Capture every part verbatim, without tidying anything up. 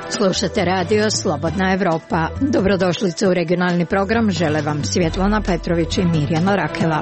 Slušate radio Slobodna Evropa. Dobrodošlice u regionalni program. Žele vam Svjetlana Petrović i Mirjana Rakela.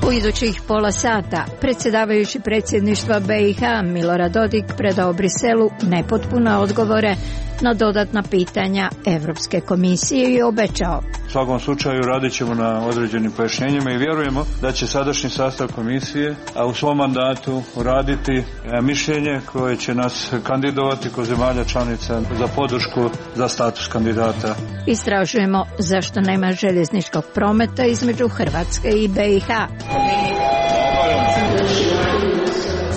U idućih pola sata predsjedavajući predsjedništva B i H Milorad Dodik predao Briselu nepotpune odgovore na dodatna pitanja Europske komisije i obećao: u svakom slučaju radit ćemo na određenim pojašnjenjima i vjerujemo da će sadašnji sastav komisije, a u svom mandatu uraditi mišljenje koje će nas kandidovati kod zemalja članica za podršku za status kandidata. Istražujemo zašto nema željezničkog prometa između Hrvatske i B i H.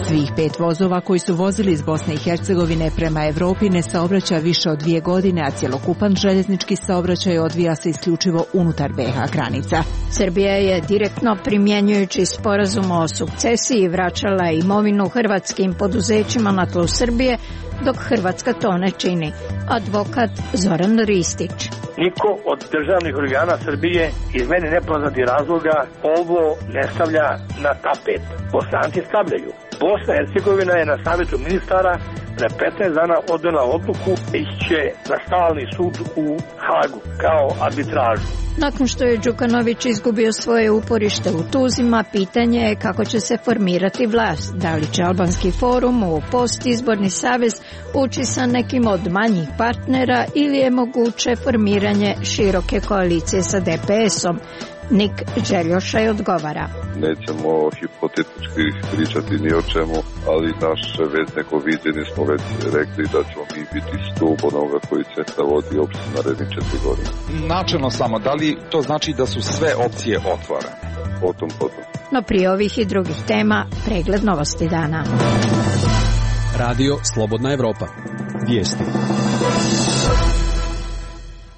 Svih pet vozova koji su vozili iz Bosne i Hercegovine prema Europi ne saobraća više od dvije godine, a cjelokupan željeznički saobraćaj odvija se isključivo unutar B i H granica. Srbija je direktno primjenjujući sporazum o sukcesiji vraćala imovinu hrvatskim poduzećima na tlu Srbije, dok Hrvatska to ne čini. Advokat Zoran Ristić. Niko od državnih organa Srbije iz meni nepoznatih razloga ovo ne stavlja na tapet. Bosanci stavljaju. Bosna i Hercegovina je na savjetu ministara pre petnaest dana odnela odluku da će na stalni sud u Hagu kao arbitražu. Nakon što je Đukanović izgubio svoje uporište u Tuzima, pitanje je kako će se formirati vlast. Da li će Albanski forum u postizborni savez ući sa nekim od manjih partnera ili je moguće formiranje široke koalicije sa D P S-om? Nik Đeljošaj odgovara: nećemo hipotetički pričati ni o čemu, ali naše već neko viđenje smo već rekli da ćemo mi biti stup onoga koji će da vodi opštinu narednih četiri godine. Načelno samo, da li to znači da su sve opcije otvorene? Potom, potom. No prije ovih i drugih tema, pregled novosti dana. Radio Slobodna Evropa. Vijesti.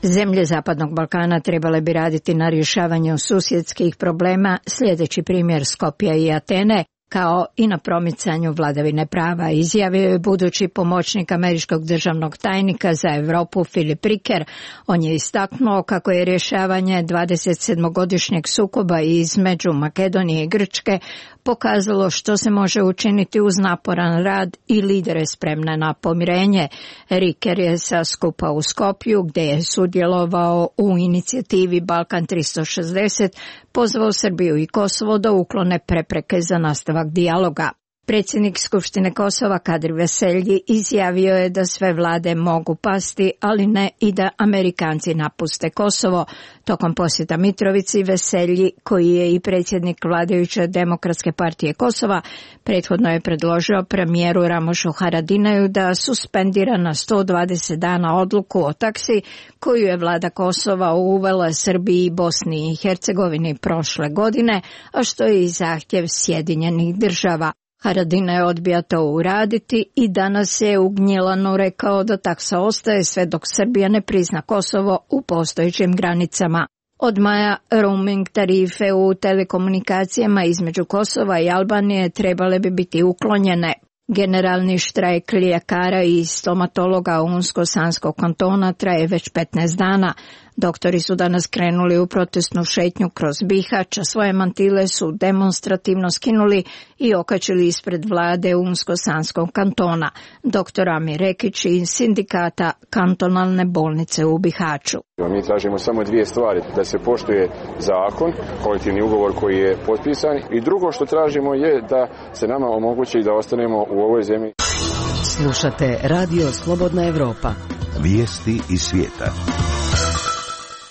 Zemlje Zapadnog Balkana trebale bi raditi na rješavanju susjedskih problema, sljedeći primjer Skopja i Atene, kao i na promicanju vladavine prava, izjavio je budući pomoćnik američkog državnog tajnika za Europu Filip Riker. On je istaknuo kako je rješavanje dvadesetsedmogodišnjeg sukoba između Makedonije i Grčke pokazalo što se može učiniti uz naporan rad i lidere spremne na pomirenje. Riker je sa skupa u Skopju, gdje je sudjelovao u inicijativi Balkan tristo šezdeset, pozvao Srbiju i Kosovo da uklone prepreke za nastavak dijaloga. Predsjednik Skupštine Kosova Kadri Veselji izjavio je da sve vlade mogu pasti, ali ne i da Amerikanci napuste Kosovo. Tokom posjeta Mitrovici, Veselji, koji je i predsjednik vladajuće Demokratske partije Kosova, prethodno je predložio premijeru Ramošu Haradinaju da suspendira na sto dvadeset dana odluku o taksi koju je vlada Kosova uvela Srbiji i Bosni i Hercegovini prošle godine, a što je i zahtjev Sjedinjenih država. Haradinaj odbija to uraditi i danas je u Gnjilanu rekao da taksa ostaje sve dok Srbija ne prizna Kosovo u postojećim granicama. Od maja roaming tarife u telekomunikacijama između Kosova i Albanije trebale bi biti uklonjene. Generalni štrajk ljekara i stomatologa Unsko-Sanskog kantona traje već petnaest dana. Doktori su danas krenuli u protestnu šetnju kroz Bihać, a svoje mantile su demonstrativno skinuli i okačili ispred vlade Unsko-Sanskog kantona. Doktor Amir Rekić iz sindikata kantonalne bolnice u Bihaću. Mi tražimo samo dvije stvari, da se poštuje zakon, kolektivni ugovor koji je potpisan, i drugo što tražimo je da se nama omogući da ostanemo u ovoj zemlji. Slušate Radio Slobodna Evropa. Vijesti iz svijeta.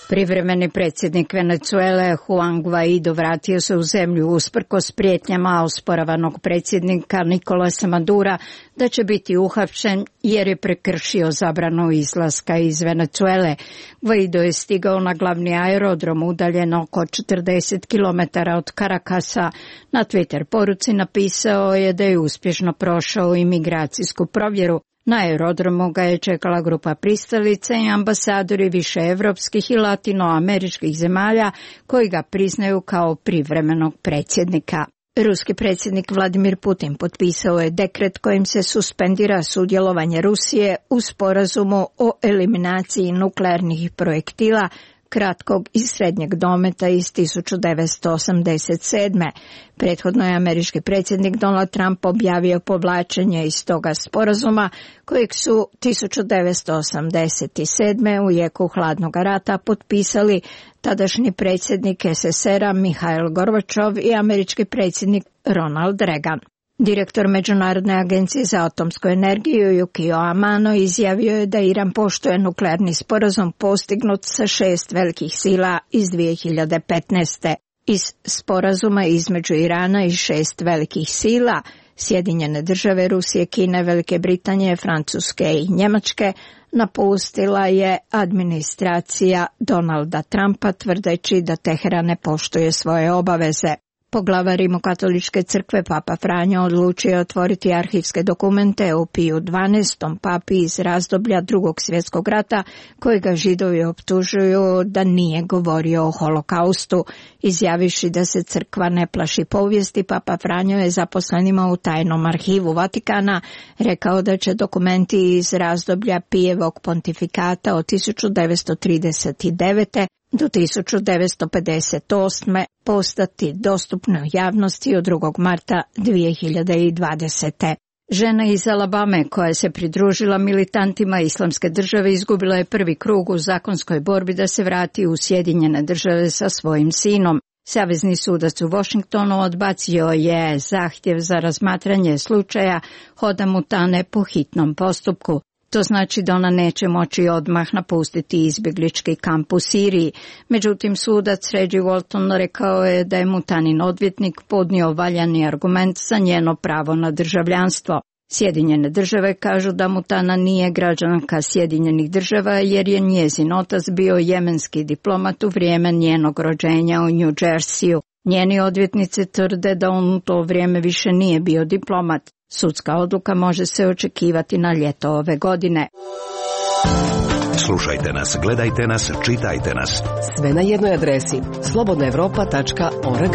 Privremeni predsjednik Venezuele Juan Guaido vratio se u zemlju usprkos prijetnjama osporavanog predsjednika Nicolasa Madura da će biti uhapšen jer je prekršio zabranu izlaska iz Venezuele. Guaido je stigao na glavni aerodrom udaljen oko četrdeset kilometara od Caracasa. Na Twitter poruci napisao je da je uspješno prošao imigracijsku provjeru. Na aerodromu ga je čekala grupa pristalica i ambasadori više evropskih i latinoameričkih zemalja koji ga priznaju kao privremenog predsjednika. Ruski predsjednik Vladimir Putin potpisao je dekret kojim se suspendira sudjelovanje Rusije u sporazumu o eliminaciji nuklearnih projektila kratkog i srednjeg dometa iz tisuću devetsto osamdeset sedme. Prethodno je američki predsjednik Donald Trump objavio povlačenje iz toga sporazuma kojeg su tisuću devetsto osamdeset sedme u jeku hladnog rata potpisali tadašnji predsjednik es es er a Mihail Gorbačov i američki predsjednik Ronald Reagan. Direktor Međunarodne agencije za atomsku energiju Yukio Amano izjavio je da Iran poštuje nuklearni sporazum postignut sa šest velikih sila iz dvije hiljade petnaeste. Iz sporazuma između Irana i šest velikih sila, Sjedinjene države, Rusije, Kine, Velike Britanije, Francuske i Njemačke, napustila je administracija Donalda Trumpa tvrdeći da Teheran ne poštuje svoje obaveze. Poglavar Rimokatoličke crkve Papa Franjo odlučio je otvoriti arhivske dokumente o Piju dvanaestom papi iz razdoblja Drugog svjetskog rata, kojega Židovi optužuju da nije govorio o holokaustu. Izjaviši da se crkva ne plaši povijesti, Papa Franjo je zaposlenima u tajnom arhivu Vatikana rekao da će dokumenti iz razdoblja Pijevog pontifikata od tisuću devetsto trideset devete do tisuću devetsto pedeset osme postati dostupne javnosti od drugog marta dvije hiljade dvadesete. Žena iz Alabame koja se pridružila militantima Islamske države izgubila je prvi krug u zakonskoj borbi da se vrati u Sjedinjene države sa svojim sinom. Savezni sudac u Washingtonu odbacio je zahtjev za razmatranje slučaja Hoda Mutane po hitnom postupku. To znači da ona neće moći odmah napustiti izbjeglički kamp u Siriji. Međutim, sudac Reggie Walton rekao je da je Mutanin odvjetnik podnio valjani argument za njeno pravo na državljanstvo. Sjedinjene države kažu da Mutana nije građanka Sjedinjenih država jer je njezin otac bio jemenski diplomat u vrijeme njenog rođenja u New Jerseyu. Njeni odvjetnici tvrde da on u to vrijeme više nije bio diplomat. Sudska odluka može se očekivati na ljeto ove godine. Slušajte nas, gledajte nas, čitajte nas. Sve na jednoj adresi slobodna europa tačka org.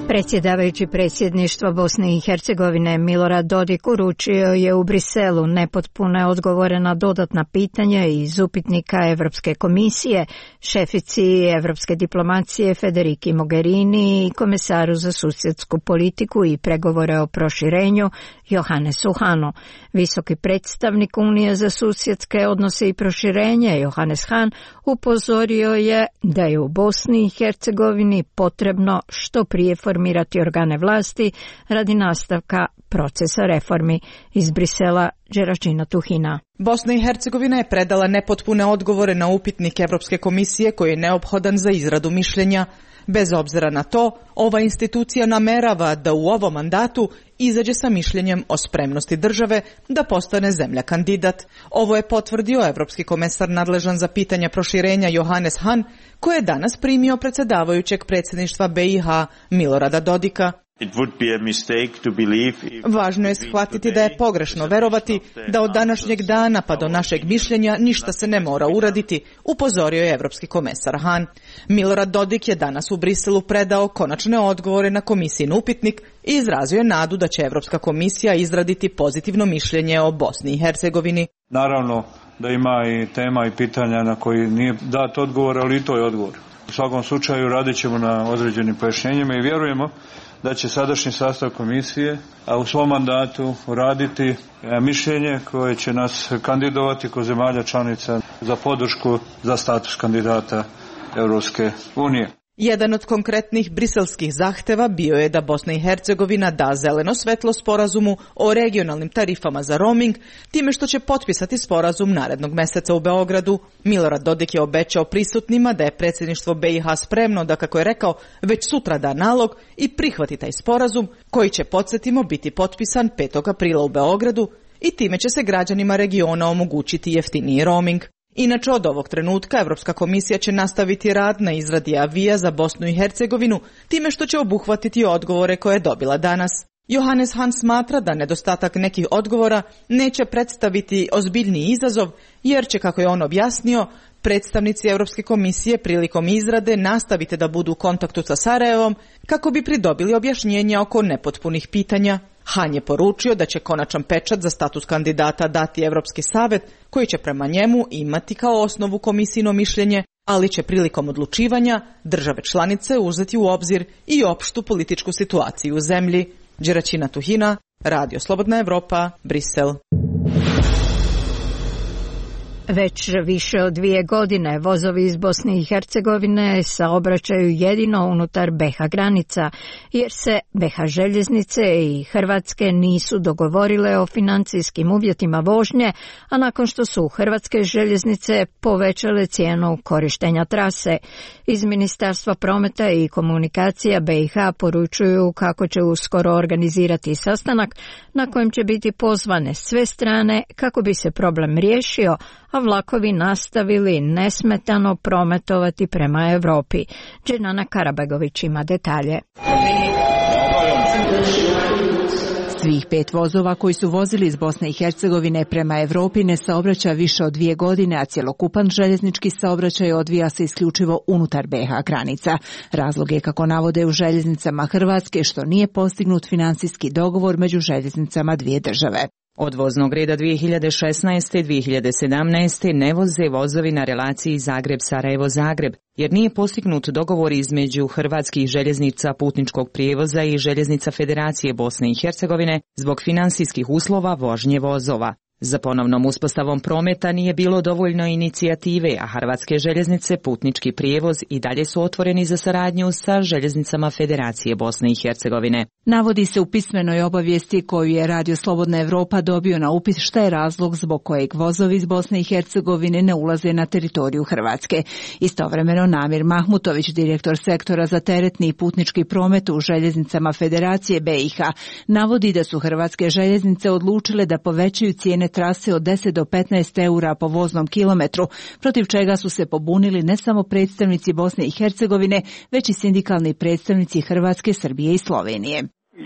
Predsjedavajući predsjedništva Bosne i Hercegovine Milorad Dodik uručio je u Briselu nepotpune odgovore na dodatna pitanja iz upitnika Evropske komisije, šefici evropske diplomacije Federiki Mogherini i komesaru za susjedsku politiku i pregovore o proširenju Johannesu Hahnu. Visoki predstavnik Unije za susjedske odnose i proširenje Johannes Hahn upozorio je da je u Bosni i Hercegovini potrebno što prije formirati organe vlasti radi nastavka procesa reformi. Iz Brisela, Đeračina Tuhina. Bosna i Hercegovina je predala nepotpune odgovore na upitnik Evropske komisije koji je neophodan za izradu mišljenja. Bez obzira na to, ova institucija namerava da u ovom mandatu izađe sa mišljenjem o spremnosti države da postane zemlja kandidat. Ovo je potvrdio evropski komesar nadležan za pitanja proširenja Johannes Hahn, koji je danas primio predsjedavajućeg predsjedništva be i ha Milorada Dodika. Važno je shvatiti da je pogrešno verovati da od današnjeg dana pa do našeg mišljenja ništa se ne mora uraditi, upozorio je evropski komesar Hahn. Milorad Dodik je danas u Briselu predao konačne odgovore na komisijin upitnik i izrazio je nadu da će Evropska komisija izraditi pozitivno mišljenje o Bosni i Hercegovini. Naravno da ima i tema i pitanja na koji nije dat odgovor, ali i to je odgovor. U svakom slučaju radit ćemo na određenim pojašnjenjima i vjerujemo da će sadašnji sastav komisije a u svom mandatu raditi mišljenje koje će nas kandidovati kod zemalja članica za podršku za status kandidata Europske unije. Jedan od konkretnih briselskih zahteva bio je da Bosna i Hercegovina da zeleno svetlo sporazumu o regionalnim tarifama za roaming, time što će potpisati sporazum narednog meseca u Beogradu. Milorad Dodik je obećao prisutnima da je predsjedništvo be i ha spremno da, kako je rekao, već sutra da nalog i prihvati taj sporazum koji će, podsjetimo, biti potpisan petog aprila u Beogradu i time će se građanima regiona omogućiti jeftiniji roaming. Inače, od ovog trenutka Evropska komisija će nastaviti rad na izradi avija za Bosnu i Hercegovinu, time što će obuhvatiti odgovore koje je dobila danas. Johannes Hahn smatra da nedostatak nekih odgovora neće predstaviti ozbiljniji izazov, jer će, kako je on objasnio, predstavnici Evropske komisije prilikom izrade nastavite da budu u kontaktu sa Sarajevom kako bi pridobili objašnjenja oko nepotpunih pitanja. Han je poručio da će konačan pečat za status kandidata dati Evropski savet, koji će prema njemu imati kao osnovu komisijino mišljenje, ali će prilikom odlučivanja države članice uzeti u obzir i opštu političku situaciju u zemlji. Đeraćina Tuhina, Radio Slobodna Evropa, Brisel. Već više od dvije godine vozovi iz Bosne i Hercegovine saobraćaju jedino unutar B iH granica, jer se B iH željeznice i Hrvatske nisu dogovorile o financijskim uvjetima vožnje, a nakon što su hrvatske željeznice povećale cijenu korištenja trase. Iz Ministarstva prometa i komunikacija B iH poručuju kako će uskoro organizirati sastanak na kojem će biti pozvane sve strane kako bi se problem riješio, a vlakovi nastavili nesmetano prometovati prema Europi. Dženana Karabegović ima detalje. Svih pet vozova koji su vozili iz Bosne i Hercegovine prema Europi ne saobraća više od dvije godine, a cjelokupan željeznički saobraćaj odvija se isključivo unutar B iH granica. Razlog je, kako navode u željeznicama Hrvatske, što nije postignut financijski dogovor među željeznicama dvije države. Od voznog reda dvije hiljade šesnaeste. dvije hiljade sedamnaeste. ne voze vozovi na relaciji Zagreb-Sarajevo-Zagreb, jer nije postignut dogovor između hrvatskih željeznica putničkog prijevoza i željeznica Federacije Bosne i Hercegovine zbog financijskih uslova vožnje vozova. Za ponovnom uspostavom prometa nije bilo dovoljno inicijative, a hrvatske željeznice putnički prijevoz i dalje su otvoreni za saradnju sa željeznicama Federacije Bosne i Hercegovine. Navodi se u pismenoj obavijesti koju je Radio Slobodna Evropa dobio na upit šta je razlog zbog kojeg vozovi iz Bosne i Hercegovine ne ulaze na teritoriju Hrvatske. Istovremeno Namir Mahmutović, direktor sektora za teretni i putnički promet u željeznicama Federacije B iH, navodi da su hrvatske željeznice odlučile da povećaju cijene trase od deset do petnaest eura po voznom kilometru, protiv čega su se pobunili ne samo predstavnici Bosne i Hercegovine, već i sindikalni predstavnici Hrvatske, Srbije i Slovenije.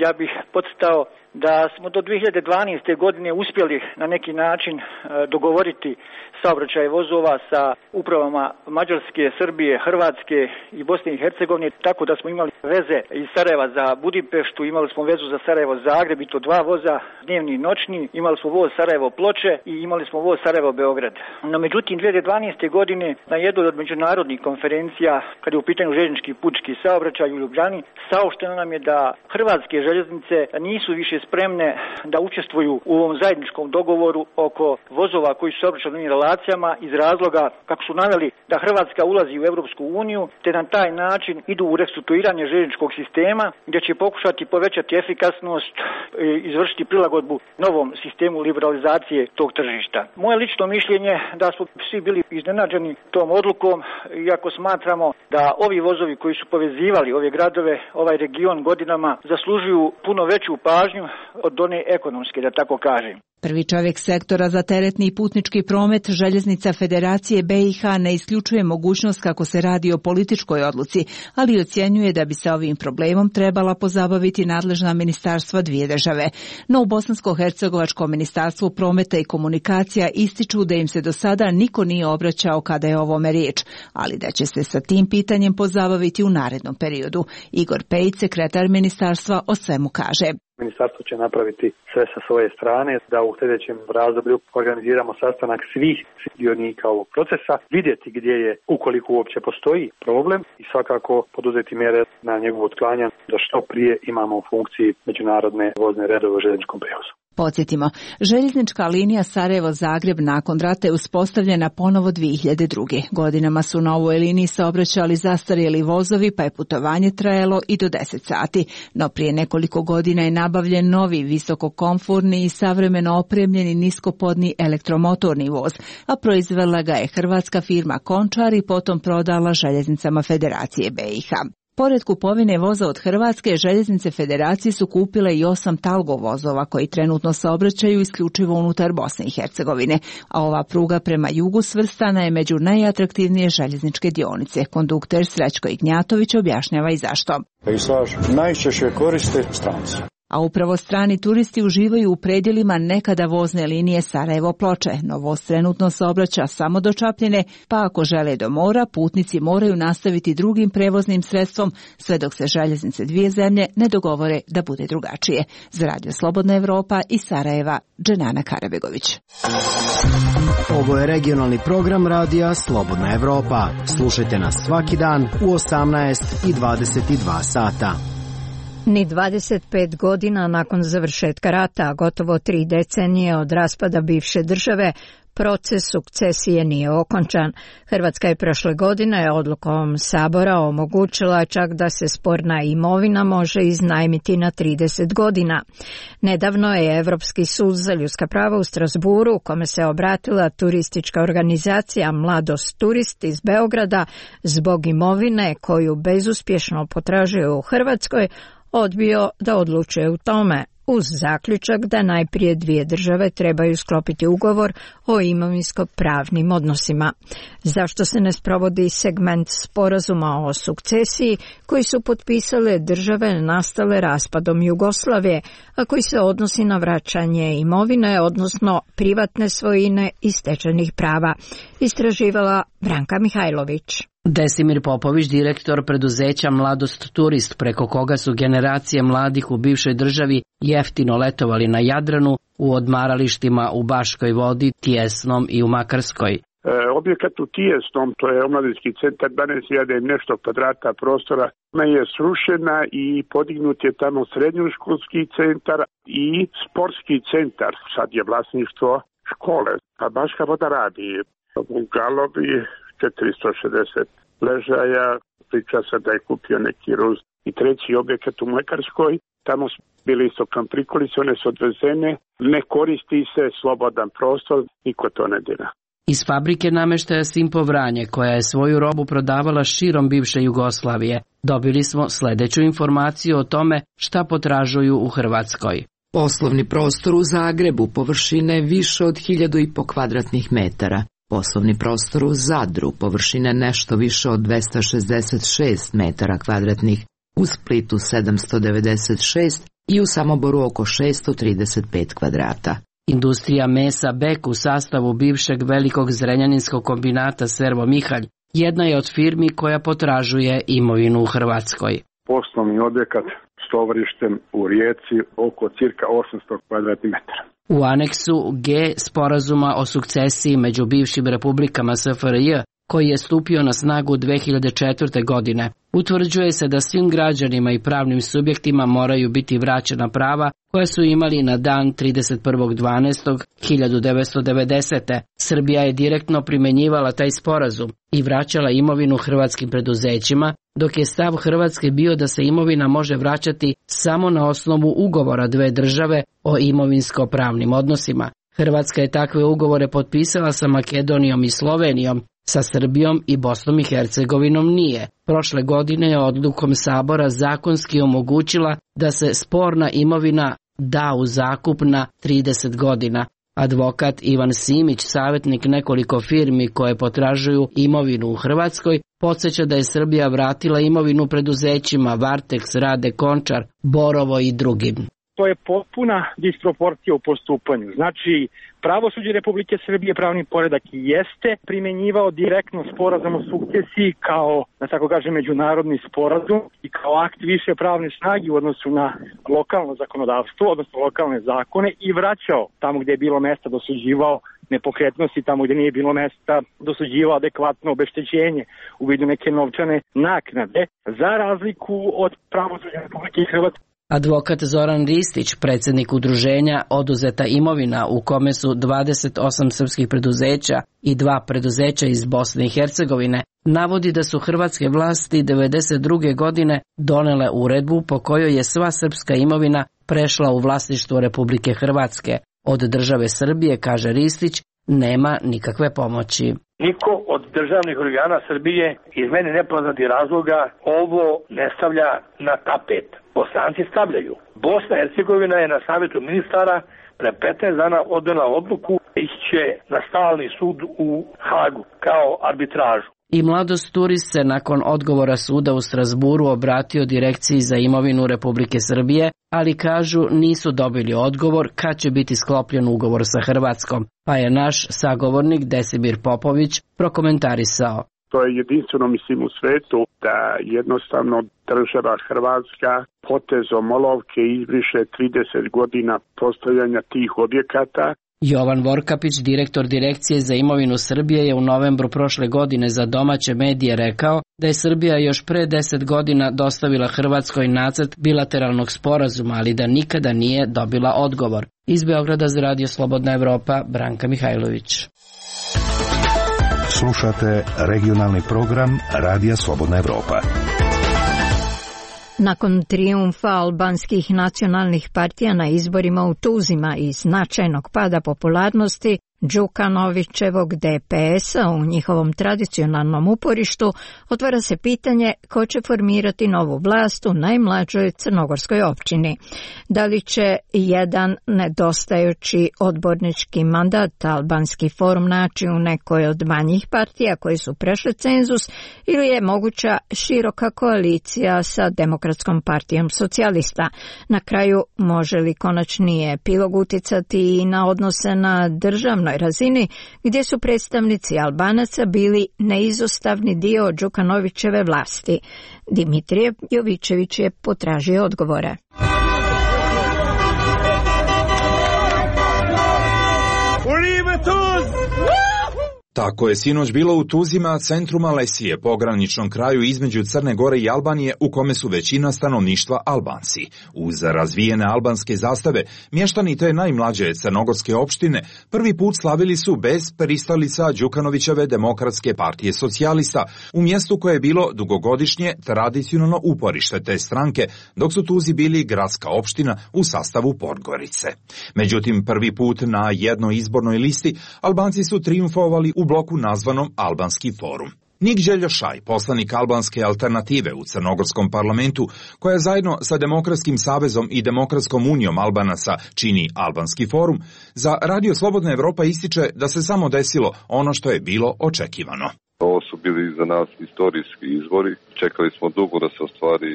Ja bih podcrtao da smo do dvije hiljade dvanaeste. godine uspjeli na neki način dogovoriti saobraćaj vozova sa upravama Mađarske, Srbije, Hrvatske i Bosne i Hercegovine, tako da smo imali veze iz Sarajeva za Budimpeštu, imali smo vezu za Sarajevo-Zagreb i to dva voza, dnevni i noćni, imali smo voz Sarajevo-Ploče i imali smo voz Sarajevo-Beograd. No međutim, dvije hiljade dvanaeste. godine na jednoj od međunarodnih konferencija, kad je u pitanju željeznički putnički saobraćaj u Ljubljani, saopšteno nam je da hrvatske željeznice nisu više spremne da učestvuju u ovom zajedničkom dogovoru oko vozova koji su saobraćali na relacijama iz razloga, kako su naveli, da Hrvatska ulazi u Europsku uniju, te na taj način idu u restrukturiranje željezničkog sistema, gdje će pokušati povećati efikasnost, izvršiti prilagodbu novom sistemu liberalizacije tog tržišta. Moje lično mišljenje da smo svi bili iznenađeni tom odlukom, iako smatramo da ovi vozovi koji su povezivali ove gradove, ovaj region godinama, zaslužuju puno veću pažnju od one ekonomske, da tako kažem. Prvi čovjek sektora za teretni i putnički promet željeznica Federacije B iH ne isključuje mogućnost kako se radi o političkoj odluci, ali ocjenjuje da bi se ovim problemom trebala pozabaviti nadležna ministarstva dvije države. No u Bosansko-hercegovačko ministarstvo prometa i komunikacija ističu da im se do sada niko nije obraćao kada je o ovome riječ, ali da će se sa tim pitanjem pozabaviti u narednom periodu. Igor Pejić, sekretar ministarstva, o svemu kaže. Ministarstvo će napraviti sve sa svoje strane da u sljedećem razdoblju organiziramo sastanak svih sudionika ovog procesa, vidjeti gdje je, ukoliko uopće postoji problem, i svakako poduzeti mjere na njegovo otklanjanje da što prije imamo u funkciji međunarodne vozne redove u željezničkom prijevozu. Podsjetimo, željeznička linija Sarajevo-Zagreb nakon rata je uspostavljena ponovo dvije hiljade druge. Godinama su na ovoj liniji saobraćali zastarjeli vozovi, pa je putovanje trajalo i do deset sati. No prije nekoliko godina je nabavljen novi, visokokomforni i savremeno opremljeni niskopodni elektromotorni voz, a proizvela ga je hrvatska firma Končar i potom prodala željeznicama Federacije B iH. Pored kupovine voza od Hrvatske, željeznice Federacije su kupile i osam Talgo vozova koji trenutno saobraćaju isključivo unutar Bosne i Hercegovine, a ova pruga prema jugu svrstana je među najatraktivnije željezničke dionice. Kondukter Srećko Ignjatović objašnjava i zašto. Pejsaž najčešće koriste stranci. A upravo strani turisti uživaju u predjelima nekada vozne linije Sarajevo-Ploče, no voz trenutno saobraća samo do Čapljine, pa ako žele do mora, putnici moraju nastaviti drugim prevoznim sredstvom, sve dok se željeznice dvije zemlje ne dogovore da bude drugačije. Za Radio Slobodna Evropa iz Sarajeva, Dženana Karabegović. Ovo je regionalni program Radija Slobodna Evropa. Slušajte nas svaki dan u osamnaest i dvadeset dva sata. Ni dvadeset pet godina nakon završetka rata, gotovo tri decenije od raspada bivše države, proces sukcesije nije okončan. Hrvatska je prošle godine odlukom Sabora omogućila čak da se sporna imovina može iznajmiti na trideset godina. Nedavno je Evropski sud za ljudska prava u Strasburu, u kome se obratila turistička organizacija Mladost Turist iz Beograda, zbog imovine koju bezuspješno potražuje u Hrvatskoj, odbio da odlučuje u tome, uz zaključak da najprije dvije države trebaju sklopiti ugovor o imovinsko-pravnim odnosima. Zašto se ne sprovodi segment sporazuma o sukcesiji koji su potpisale države nastale raspadom Jugoslavije, a koji se odnosi na vraćanje imovine, odnosno privatne svojine i stečenih prava, istraživala Branka Mihajlović. Desimir Popović, direktor preduzeća Mladost Turist, preko koga su generacije mladih u bivšoj državi jeftino letovali na Jadranu, u odmaralištima u Baškoj Vodi, Tijesnom i u Makarskoj. E, objekat u Tijesnom, to je omladinski centar, dvanaest hiljada i nešto kvadrata prostora, ona je srušena i podignut je tamo srednjoškolski centar i sportski centar. Sad je vlasništvo škole, a Baška Voda radi u Galovi četiristo šezdeset ležaja, priča se da je kupio neki Rus. I treći objekat u Mlekarskoj, tamo su bili isto kamprikolice, one su odvezene, ne koristi se, slobodan prostor, niko to ne dira. Iz fabrike namještaja Simpo Vranje, koja je svoju robu prodavala širom bivše Jugoslavije, dobili smo sljedeću informaciju o tome šta potražuju u Hrvatskoj. Poslovni prostor u Zagrebu površine više od hiljadu i po kvadratnih metara. Poslovni prostor u Zadru površine nešto više od dvesta šezdeset šest metara kvadratnih, u Splitu sedamsto devedeset šest i u Samoboru oko šesto trideset pet kvadrata. Industrija mesa Bek u sastavu bivšeg velikog zrenjaninskog kombinata Servo Mihalj jedna je od firmi koja potražuje imovinu u Hrvatskoj. Poslovni objekat s tovarištem u Rijeci oko cirka osamsto kvadratnih metara. U aneksu G sporazuma o sukcesiji među bivšim republikama S F R J, koji je stupio na snagu dve hiljade četvrte. godine, utvrđuje se da svim građanima i pravnim subjektima moraju biti vraćena prava koja su imali na dan trideset prvog dvanaestog hiljadu devetsto devedesete. Srbija je direktno primjenjivala taj sporazum i vraćala imovinu hrvatskim preduzećima, dok je stav Hrvatske bio da se imovina može vraćati samo na osnovu ugovora dve države o imovinsko-pravnim odnosima. Hrvatska je takve ugovore potpisala sa Makedonijom i Slovenijom, sa Srbijom i Bosnom i Hercegovinom nije. Prošle godine je odlukom Sabora zakonski omogućila da se sporna imovina da u zakup na trideset godina. Advokat Ivan Simić, savjetnik nekoliko firmi koje potražuju imovinu u Hrvatskoj, podsjeća da je Srbija vratila imovinu preduzećima Varteks, Rade, Končar, Borovo i drugim. To je potpuna disproporcija u postupanju. Znači, pravosuđe Republike Srbije, pravni poredak jeste primjenjivao direktno sporazum o sukcesiji kao, da tako kažem, međunarodni sporazum i kao akt više pravne snage u odnosu na lokalno zakonodavstvo, odnosno lokalne zakone, i vraćao tamo gdje je bilo mesta, dosuđivao nepokretnosti, tamo gdje nije bilo mesta, dosuđivao adekvatno obeštećenje u vidu neke novčane naknade, za razliku od pravosuđa Republike Hrvatske. Advokat Zoran Ristić, predsjednik udruženja Oduzeta imovina, u kome su dvadeset osam srpskih preduzeća i dva preduzeća iz Bosne i Hercegovine, navodi da su hrvatske vlasti devedeset druge. godine donele uredbu po kojoj je sva srpska imovina prešla u vlasništvo Republike Hrvatske. Od države Srbije, kaže Ristić, nema nikakve pomoći. Niko od državnih organa Srbije iz meni nepoznatih razloga ovo ne stavlja na tapet. Bosanci stavljaju. Bosna i Hercegovina je na savjetu ministara pre petnaest dana odnela odluku, ići će na stalni sud u Hagu kao arbitražu. I Mladost Turist se nakon odgovora suda u Strasburu obratio Direkciji za imovinu Republike Srbije, ali kažu nisu dobili odgovor kad će biti sklopljen ugovor sa Hrvatskom, pa je naš sagovornik Desimir Popović prokomentarisao. To je jedinstveno, mislim, u svetu da jednostavno država Hrvatska potezom olovke izbriše trideset godina postavljanja tih objekata. Jovan Vorkapić, direktor Direkcije za imovinu Srbije, je u novembru prošle godine za domaće medije rekao da je Srbija još pre deset godina dostavila Hrvatskoj nacrt bilateralnog sporazuma, ali da nikada nije dobila odgovor. Iz Beograda za Radio Slobodna Evropa, Branka Mihajlović. Slušate regionalni program Radija Slobodna Evropa. Nakon trijumfa albanskih nacionalnih partija na izborima u Tuzima i značajnog pada popularnosti Đukanovićevog D P S-a u njihovom tradicionalnom uporištu, otvara se pitanje ko će formirati novu vlast u najmlađoj crnogorskoj općini. Da li će jedan nedostajući odbornički mandat Albanski forum naći u nekoj od manjih partija koji su prešli cenzus, ili je moguća široka koalicija sa Demokratskom partijom socijalista? Na kraju, može li konačni epilog uticati i na odnose na državnoj razini, gdje su predstavnici Albanaca bili neizostavni dio Đukanovićeve vlasti? Dimitrije Jovićević je potražio odgovore. Tako je sinoć bilo u Tuzima, centru Malesije, pograničnom kraju između Crne Gore i Albanije, u kome su većina stanovništva Albanci. Uz razvijene albanske zastave, mještani te najmlađe crnogorske opštine prvi put slavili su bez pristalica Đukanovićeve Demokratske partije socijalista, u mjestu koje je bilo dugogodišnje tradicionalno uporište te stranke, dok su Tuzi bili gradska opština u sastavu Podgorice. Međutim, prvi put na jednoj izbornoj listi Albanci su trijumfovali u bloku nazvanom Albanski forum. Nik Đeljošaj, poslanik Albanske alternative u crnogorskom parlamentu, koja zajedno sa Demokratskim savezom i Demokratskom unijom Albanaca čini Albanski forum, za Radio Slobodna Evropa ističe da se samo desilo ono što je bilo očekivano. Ovo su bili za nas istorijski izbori. Čekali smo dugo da se ostvari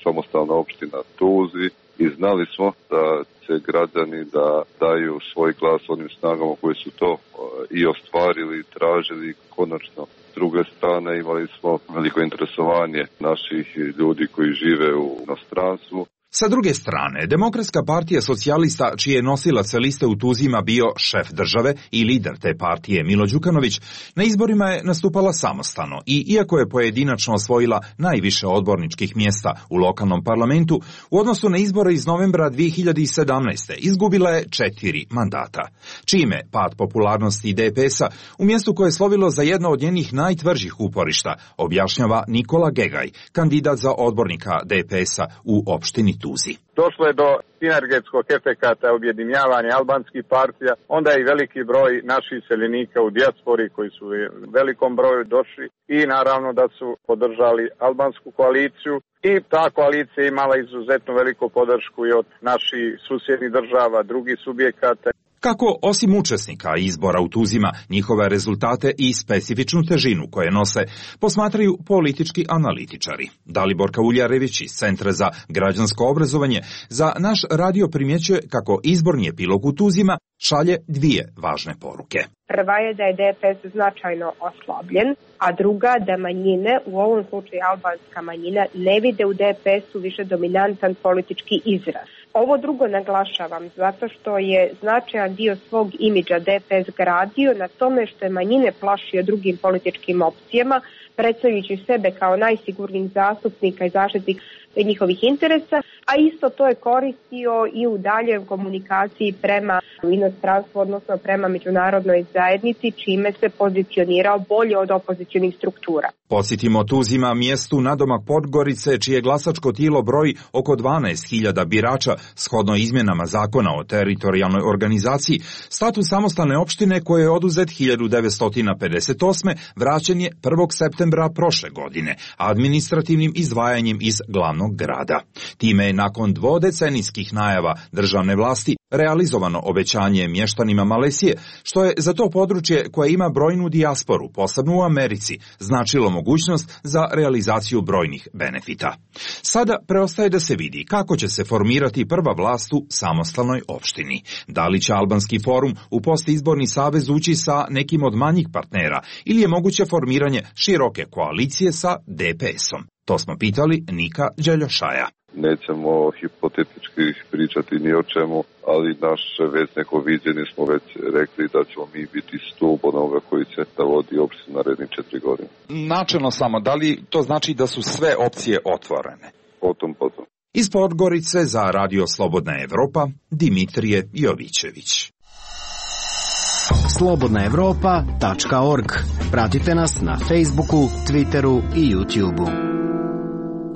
samostalna opština Tuzi i znali smo da će građani da daju svoj glas onim snagama koji su to i ostvarili, tražili konačno. S druge strane imali smo veliko interesovanje naših ljudi koji žive u inostranstvu. Sa druge strane, Demokratska partija socijalista, čiji je nosilac liste u Tuzima bio šef države i lider te partije Milo Đukanović, na izborima je nastupala samostalno i, iako je pojedinačno osvojila najviše odborničkih mjesta u lokalnom parlamentu, u odnosu na izbore iz novembra dvije hiljade sedamnaeste. izgubila je četiri mandata. Čime pad popularnosti D P S-a u mjestu koje je slovilo za jedno od njenih najtvrđih uporišta, objašnjava Nikola Gegaj, kandidat za odbornika D P S-a u opštini Tuzi. Došlo je do sinergetskog efekata objedinjavanja albanskih partija, onda je i veliki broj naših iseljenika u dijaspori koji su u velikom broju došli i naravno da su podržali albansku koaliciju i ta koalicija je imala izuzetno veliku podršku i od naših susjednih država, drugih subjekata. Kako, osim učesnika izbora u Tuzima, njihove rezultate i specifičnu težinu koje nose, posmatraju politički analitičari. Dalibor Kauljarević iz Centra za građansko obrazovanje za naš radio primjećuje kako izborni epilog u Tuzima šalje dvije važne poruke. Prva je da je D P S značajno oslabljen, a druga da manjine, u ovom slučaju albanska manjina, ne vide u D P S-u više dominantan politički izraz. Ovo drugo naglašavam zato što je značajan dio svog imidža D P S gradio na tome što je manjine plašio drugim političkim opcijama, predstavljajući sebe kao najsigurnijih zastupnika i zaštitnik njihovih interesa, a isto to je koristio i u daljoj komunikaciji prema inostranstvu, odnosno prema međunarodnoj zajednici, čime se pozicionirao bolje od opozicionih struktura. Podsjetimo, Tuzima, mjestu nadomak Podgorice, čije glasačko tijelo broji oko dvanaest hiljada birača, shodno izmjenama zakona o teritorijalnoj organizaciji, status samostalne opštine koje je oduzet hiljadu devetsto pedeset osme vraćen je prvog septembra septembra prošle godine administrativnim izdvajanjem iz glavnog grada. Time je nakon dvodecenijskih najava državne vlasti realizovano obećanje mještanima Malezije, što je za to područje koje ima brojnu dijasporu, posebno u Americi, značilo mogućnost za realizaciju brojnih benefita. Sada preostaje da se vidi kako će se formirati prva vlast u samostalnoj opštini. Da li će Albanski forum u postizborni savez ući sa nekim od manjih partnera ili je moguće formiranje široke koalicije sa D P S-om? To smo pitali Nika Đeljošaja. Nećemo hipotetički pričati ni o čemu, ali naše već neko viđenje smo već rekli da ćemo mi biti stup onoga koji će da vodi opštinu narednih četiri godine. Načelno samo, da li to znači da su sve opcije otvorene? Potom, potom. Iz Podgorice za Radio Slobodna Evropa, Dimitrije Jovićević. slobodna evropa tačka org. Pratite nas na Facebooku, Twitteru i YouTubeu.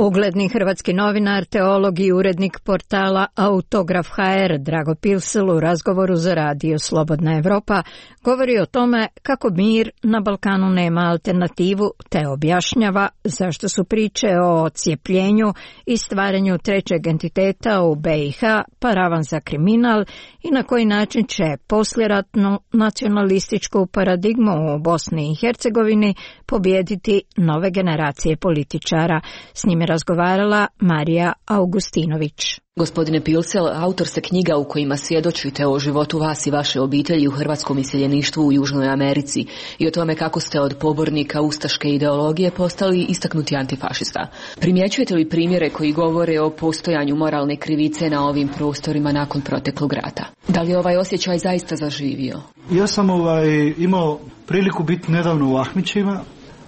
Ugledni hrvatski novinar, teolog i urednik portala Autograf H R Drago Pilsel u razgovoru za Radio Slobodna Evropa govori o tome kako mir na Balkanu nema alternativu, te objašnjava zašto su priče o odcijepljenju i stvaranju trećeg entiteta u B i H paravan za kriminal i na koji način će posljeratnu nacionalističku paradigmu u Bosni i Hercegovini pobijediti nove generacije političara. S njime razgovarala Marija Augustinović. Gospodine Pilsel, autor ste knjiga u kojima svjedočite o životu vas i vaše obitelji u hrvatskom iseljeništvu u Južnoj Americi i o tome kako ste od pobornika ustaške ideologije postali istaknuti antifašista. Primjećujete li primjere koji govore o postojanju moralne krivice na ovim prostorima nakon proteklog rata? Da li je ovaj osjećaj zaista zaživio? Ja sam ovaj, imao priliku biti nedavno u Ahmićima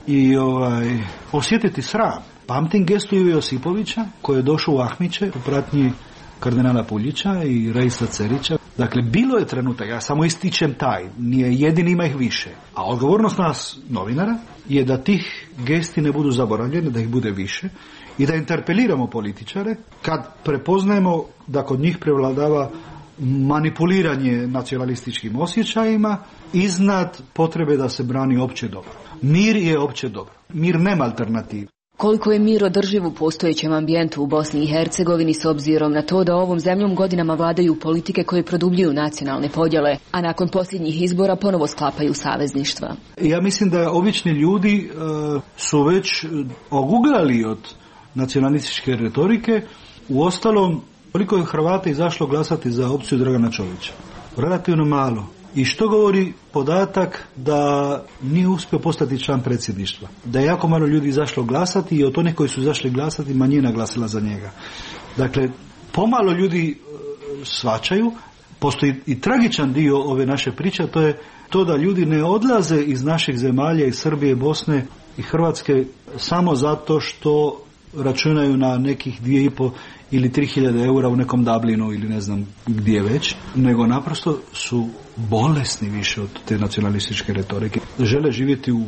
i ovaj, osjetiti sram. Pamtim gestu Ive Josipovića koji je došao u Ahmiće u pratnji kardinala Puljića i Reisa Cerića. Dakle, bilo je trenutak, ja samo ističem taj, nije jedini, ima ih više. A odgovornost nas, novinara, je da tih gesti ne budu zaboravljene, da ih bude više i da interpeliramo političare kad prepoznajemo da kod njih prevladava manipuliranje nacionalističkim osjećajima iznad potrebe da se brani opće dobro. Mir je opće dobro. Mir nema alternativu. Koliko je mir održiv u postojećem ambijentu u Bosni i Hercegovini s obzirom na to da ovom zemljom godinama vladaju politike koje produbljuju nacionalne podjele, a nakon posljednjih izbora ponovo sklapaju savezništva? Ja mislim da obični ljudi uh, su već oguglali od nacionalističke retorike. Uostalom, koliko je Hrvata izašlo glasati za opciju Dragana Čovića? Relativno malo. I što govori podatak da nije uspio postati član predsjedništva? Da je jako malo ljudi izašlo glasati i od onih koji su izašli glasati manjina glasila za njega. Dakle, pomalo ljudi shvaćaju, postoji i tragičan dio ove naše priče, to je to da ljudi ne odlaze iz naših zemalja, iz Srbije, Bosne i Hrvatske samo zato što računaju na nekih dvije i po ili tri hiljade eura u nekom Dublinu ili ne znam gdje već, nego naprosto su bolesni više od te nacionalističke retorike. Žele živjeti u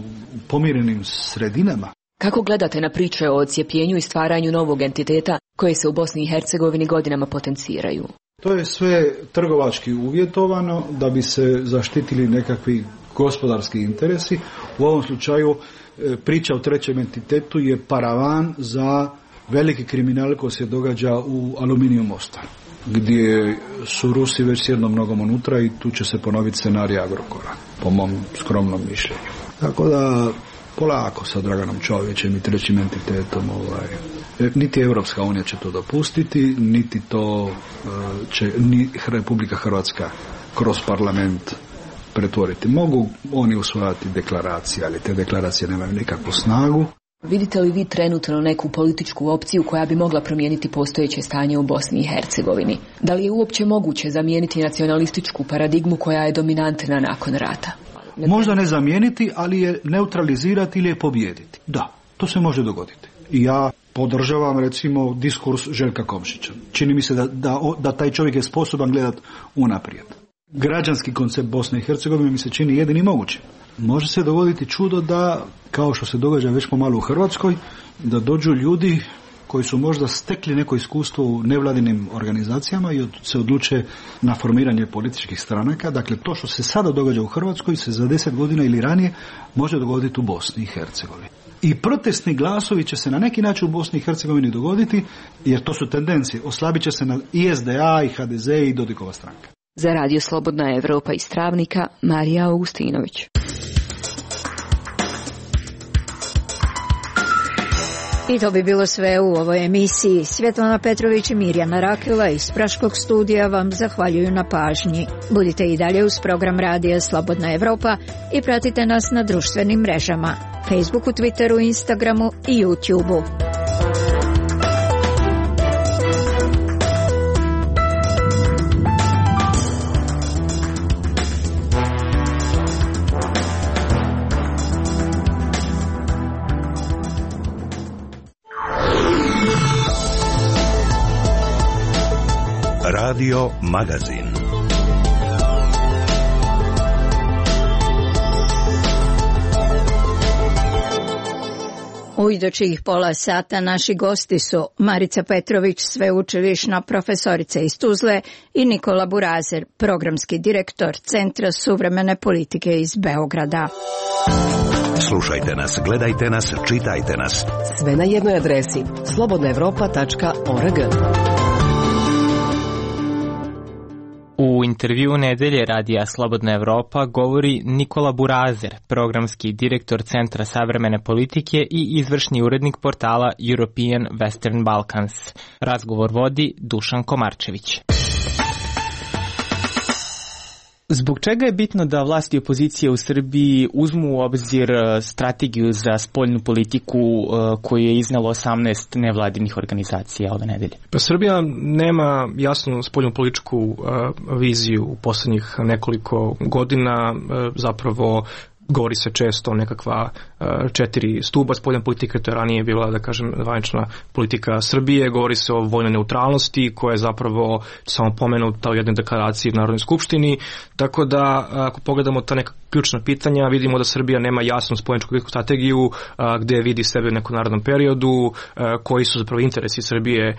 pomirenim sredinama. Kako gledate na priče o odcijepljenju i stvaranju novog entiteta koje se u Bosni i Hercegovini godinama potenciraju? To je sve trgovački uvjetovano da bi se zaštitili nekakvi gospodarski interesi. U ovom slučaju priča o trećem entitetu je paravan za veliki kriminal koji se događa u Aluminiju Mostar, gdje su Rusi već s jednom nogom unutra i tu će se ponoviti scenarij Agrokora, po mom skromnom mišljenju. Tako da polako sa Draganom Čovićem i trećim entitetom ovaj, niti Europska unija će to dopustiti, niti to će ni Republika Hrvatska kroz parlament pretvoriti. Mogu oni usvajati deklaracije, ali te deklaracije nemaju nikakvu snagu. Vidite li vi trenutno neku političku opciju koja bi mogla promijeniti postojeće stanje u Bosni i Hercegovini? Da li je uopće moguće zamijeniti nacionalističku paradigmu koja je dominantna nakon rata? Možda ne zamijeniti, ali je neutralizirati ili je pobijediti. Da, to se može dogoditi. I ja podržavam recimo diskurs Željka Komšića. Čini mi se da, da, da taj čovjek je sposoban gledati unaprijed. Građanski koncept Bosne i Hercegovine mi se čini jedini moguće. Može se dogoditi čudo da, kao što se događa već pomalo u Hrvatskoj, da dođu ljudi koji su možda stekli neko iskustvo u nevladinim organizacijama i se odluče na formiranje političkih stranaka. Dakle, to što se sada događa u Hrvatskoj se za deset godina ili ranije može dogoditi u Bosni i Hercegovini. i protestni glasovi će se na neki način u Bosni i Hercegovini dogoditi, jer to su tendencije. Oslabit će se na i es de a, i ha de ze i Dodikova stranka. Za Radio Slobodna Evropa iz Travnika, Marija Augustinović. I to bi bilo sve u ovoj emisiji. Svjetlana Petrović i Mirjana Rakela iz Praškog studija vam zahvaljuju na pažnji. Budite i dalje uz program Radija Slobodna Evropa i pratite nas na društvenim mrežama, Facebooku, Twitteru, Instagramu i YouTubeu. Radio Magazin. U idućih pola sata naši gosti su Marica Petrović, sveučilišna profesorica iz Tuzle, i Nikola Burazer, programski direktor Centra suvremene politike iz Beograda. Slušajte nas, gledajte nas, čitajte nas. Sve na jednoj adresi slobodna evropa tačka org. U intervjuu nedelje Radija Slobodna Evropa govori Nikola Burazer, programski direktor Centra savremene politike i izvršni urednik portala European Western Balkans. Razgovor vodi Dušan Komarčević. Zbog čega je bitno da vlasti i opozicije u Srbiji uzmu u obzir strategiju za spoljnu politiku koju je iznelo osamnaest nevladinih organizacija ove nedelje? Pa Srbija nema jasnu spoljnu političku viziju u posljednjih nekoliko godina, zapravo govori se često o nekakva četiri stuba spoljne politike, to je ranije bila, da kažem, zvanična politika Srbije, govori se o vojnoj neutralnosti koja je zapravo samo pomenuta u jednoj deklaraciji u Narodnoj skupštini, tako da ako pogledamo ta neka ključna pitanja, vidimo da Srbija nema jasnu spoljničku političku strategiju gde vidi sebe u nekom narednom periodu, koji su zapravo interesi Srbije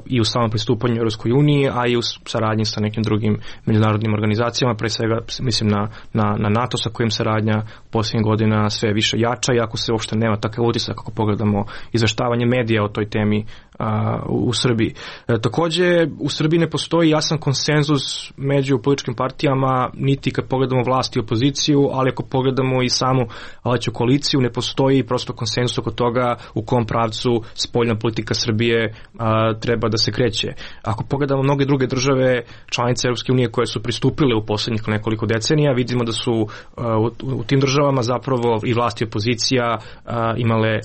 i u samom pristupanju Europskoj uniji, a i u saradnji sa nekim drugim međunarodnim organizacijama, pre svega mislim na, na, na NATO sa kojim saradnja posljednjih godina sve više jača, iako se uopšte nema takav utisak ako pogledamo izveštavanje medija o toj temi a, u, u Srbiji. E, takođe, u Srbiji ne postoji jasan konsenzus među političkim partijama, niti kad pogledamo vlast i opoziciju, ali ako pogledamo i samu vladajuću koaliciju, ne postoji prosto konsenzus oko toga u kom pravcu spoljna politika Srbije a, treba da se kreće. Ako pogledamo mnoge druge države, članice Europske unije koje su pristupile u posljednjih nekoliko decenija, vidimo da su a, u, u tim državama zapravo i vlast i opozicija a, imale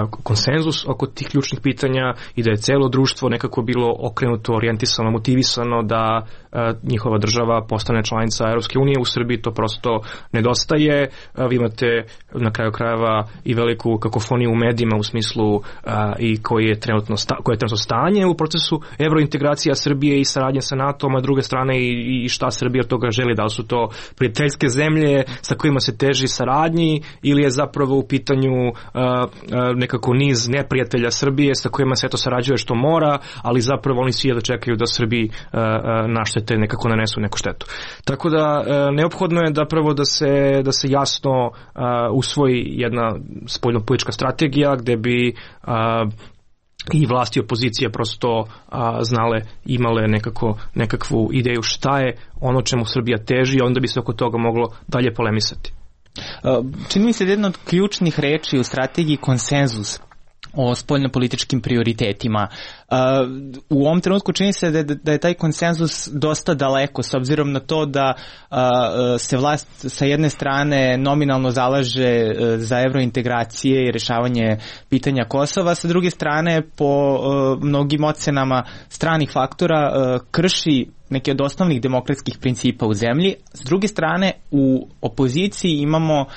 konsenzus oko tih ključnih pitanja i da je celo društvo nekako bilo okrenuto, orijentisano, motivisano da a, njihova država postane članica Europske unije. U Srbiji to prosto nedostaje. A, vi imate na kraju krajeva i veliku kakofoniju u medijima u smislu a, i koji je trenutno sta, koje je trenutno stanje u procesu evrointegracija Srbije i saradnje sa NATO-om, a druge strane i, i šta Srbija od toga želi, da li su to prijateljske zemlje sa kojima se teži saradnji ili je zapravo u pitanju a, a, nekako niz neprijatelja Srbije sa kojima se eto sarađuje što mora, ali zapravo oni svi da čekaju da Srbiji uh, uh, naštete, nekako nanesu neku štetu. Tako da uh, neophodno je zapravo da se, da se jasno uh, usvoji jedna spoljnopolitička strategija gde bi uh, i vlasti i opozicija prosto a, znale, imale nekako, nekakvu ideju šta je ono čemu Srbija teži, onda bi se oko toga moglo dalje polemisati. Čini mi se da jedna od ključnih reči u strategiji konsenzus o spoljnopolitičkim prioritetima. U ovom trenutku čini se da je, da je taj konsenzus dosta daleko, s obzirom na to da se vlast sa jedne strane nominalno zalaže za evrointegracije i rješavanje pitanja Kosova, sa druge strane po mnogim ocenama stranih faktora krši neke od osnovnih demokratskih principa u zemlji. S druge strane, u opoziciji imamo uh,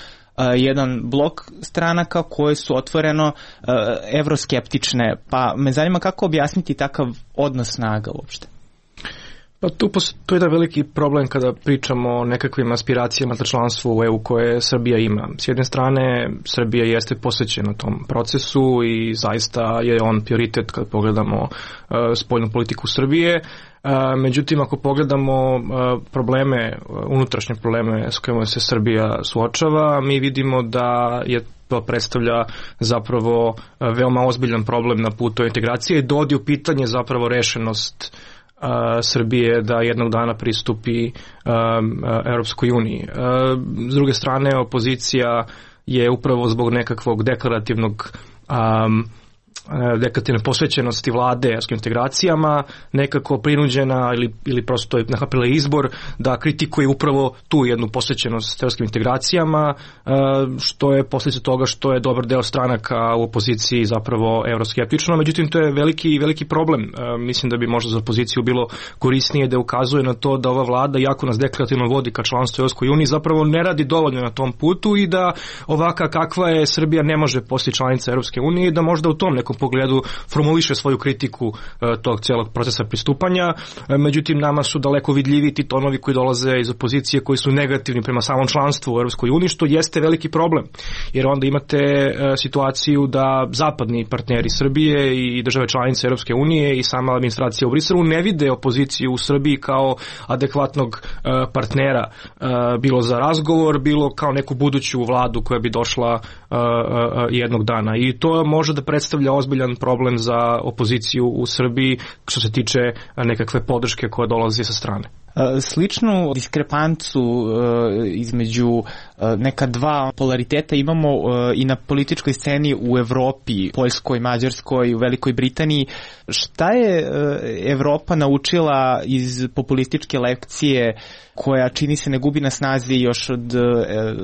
jedan blok stranaka koje su otvoreno uh, evroskeptične, pa me zanima kako objasniti takav odnos snaga uopšte. Pa tu postoji jedan veliki problem kada pričamo o nekakvim aspiracijama za članstvo u E U koje Srbija ima. S jedne strane, Srbija jeste posvećena tom procesu i zaista je on prioritet kad pogledamo uh, spoljnu politiku Srbije. Uh, međutim, ako pogledamo uh, probleme, uh, unutrašnje probleme s kojima se Srbija suočava, mi vidimo da je to predstavlja zapravo veoma ozbiljan problem na putu integracije i dovodi u pitanje zapravo rešenost uh, Srbije da jednog dana pristupi um, Europskoj uniji. Uh, s druge strane, opozicija je upravo zbog nekakvog deklarativnog um, deklarativne posvećenosti vlade evropskim integracijama nekako prinuđena ili, ili prosto je napravila izbor da kritikuje upravo tu jednu posvećenost evropskim integracijama, što je posljedica toga što je dobar deo stranaka u opoziciji zapravo euroskeptično. Međutim, to je veliki, veliki problem. Mislim da bi možda za opoziciju bilo korisnije da ukazuje na to da ova vlada, jako nas deklarativno vodi ka članstvu u Evropskoj uniji, zapravo ne radi dovoljno na tom putu i da ovaka kakva je Srbija ne može postati članica Evropske unije i da možda u tom nekom pogledu formuliše svoju kritiku uh, tog celog procesa pristupanja. Uh, međutim, nama su daleko vidljivi ti tonovi koji dolaze iz opozicije koji su negativni prema samom članstvu u Europskoj uniji, što jeste veliki problem. Jer onda imate uh, situaciju da zapadni partneri Srbije i države članice Europske unije i sama administracija u Briselu ne vide opoziciju u Srbiji kao adekvatnog uh, partnera, uh, bilo za razgovor, bilo kao neku buduću vladu koja bi došla uh, uh, jednog dana. I to može da predstavlja ozbiljan problem za opoziciju u Srbiji što se tiče nekakve podrške koja dolazi sa strane. Sličnu diskrepancu između neka dva polariteta imamo i na političkoj sceni u Evropi, Poljskoj, Mađarskoj, u Velikoj Britaniji. Šta je Evropa naučila iz populističke lekcije koja čini se ne gubi na snazi još od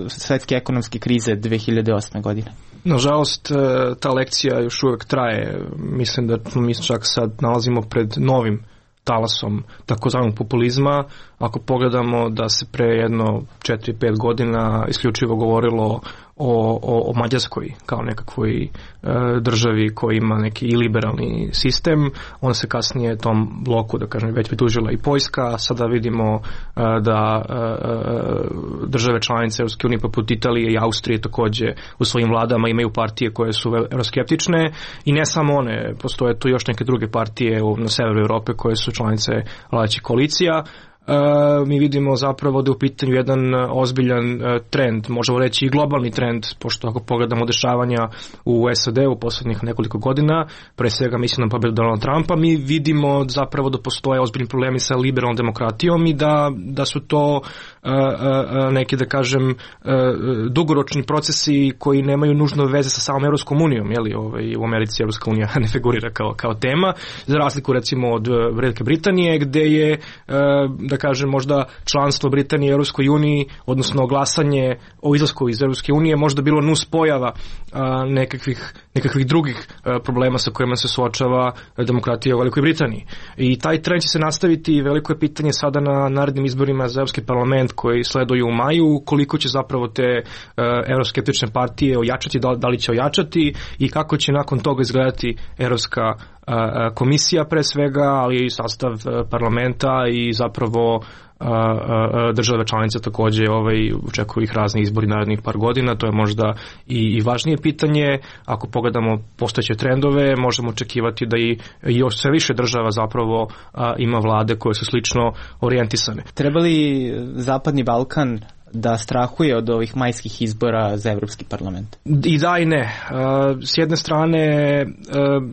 svetske ekonomske krize dve hiljade osme. godine? Nažalost, ta lekcija još uvek traje. Mislim da mi čak sad nalazimo pred novim talasom takozvanog populizma. Ako pogledamo da se pre jedno četiri pet godina isključivo govorilo o, o, o Mađarskoj kao nekakvoj e, državi koja ima neki liberalni sistem, onda se kasnije tom bloku, da kažem, već pridružila i Poljska. Sada vidimo e, da e, države članice Europske unije poput Italije i Austrije takođe u svojim vladama imaju partije koje su euroskeptične i ne samo one, postoje tu još neke druge partije na severu Evrope koje su članice vladajućih koalicija. Uh, mi vidimo zapravo da je u pitanju jedan ozbiljan uh, trend, možemo reći i globalni trend, pošto ako pogledamo dešavanja u S A D u poslednjih nekoliko godina, pre svega mislim na pobedu Donalda Trumpa, mi vidimo zapravo da postoje ozbiljni problemi sa liberalnom demokratijom i da, da su to uh, uh, neki, da kažem, uh, dugoročni procesi koji nemaju nužno veze sa samom Evropskom unijom, jeli, ovaj, u Americi Evropska unija ne figurira kao, kao tema, za razliku recimo od Velike Britanije, gde je uh, da kažem možda članstvo Britanije u Europskoj uniji, odnosno glasanje o izlasku iz Europske unije možda bilo nus pojava a, nekakvih, nekakvih drugih a, problema sa kojima se suočava demokratija u Velikoj Britaniji. I taj trend će se nastaviti i veliko je pitanje sada na narednim izborima za Europski parlament koji sleduju u maju, koliko će zapravo te euroskeptične partije ojačati, da, da li će ojačati i kako će nakon toga izgledati Evropska komisija pre svega, ali i sastav parlamenta i zapravo države članice takođe ovaj, očekuju ih razni izbori narednih par godina. To je možda i, i važnije pitanje. Ako pogledamo postojeće trendove, možemo očekivati da i još sve više država zapravo a, ima vlade koje su slično orijentisane. Treba li Zapadni Balkan da strahuje od ovih majskih izbora za Evropski parlament? I da i ne. S jedne strane,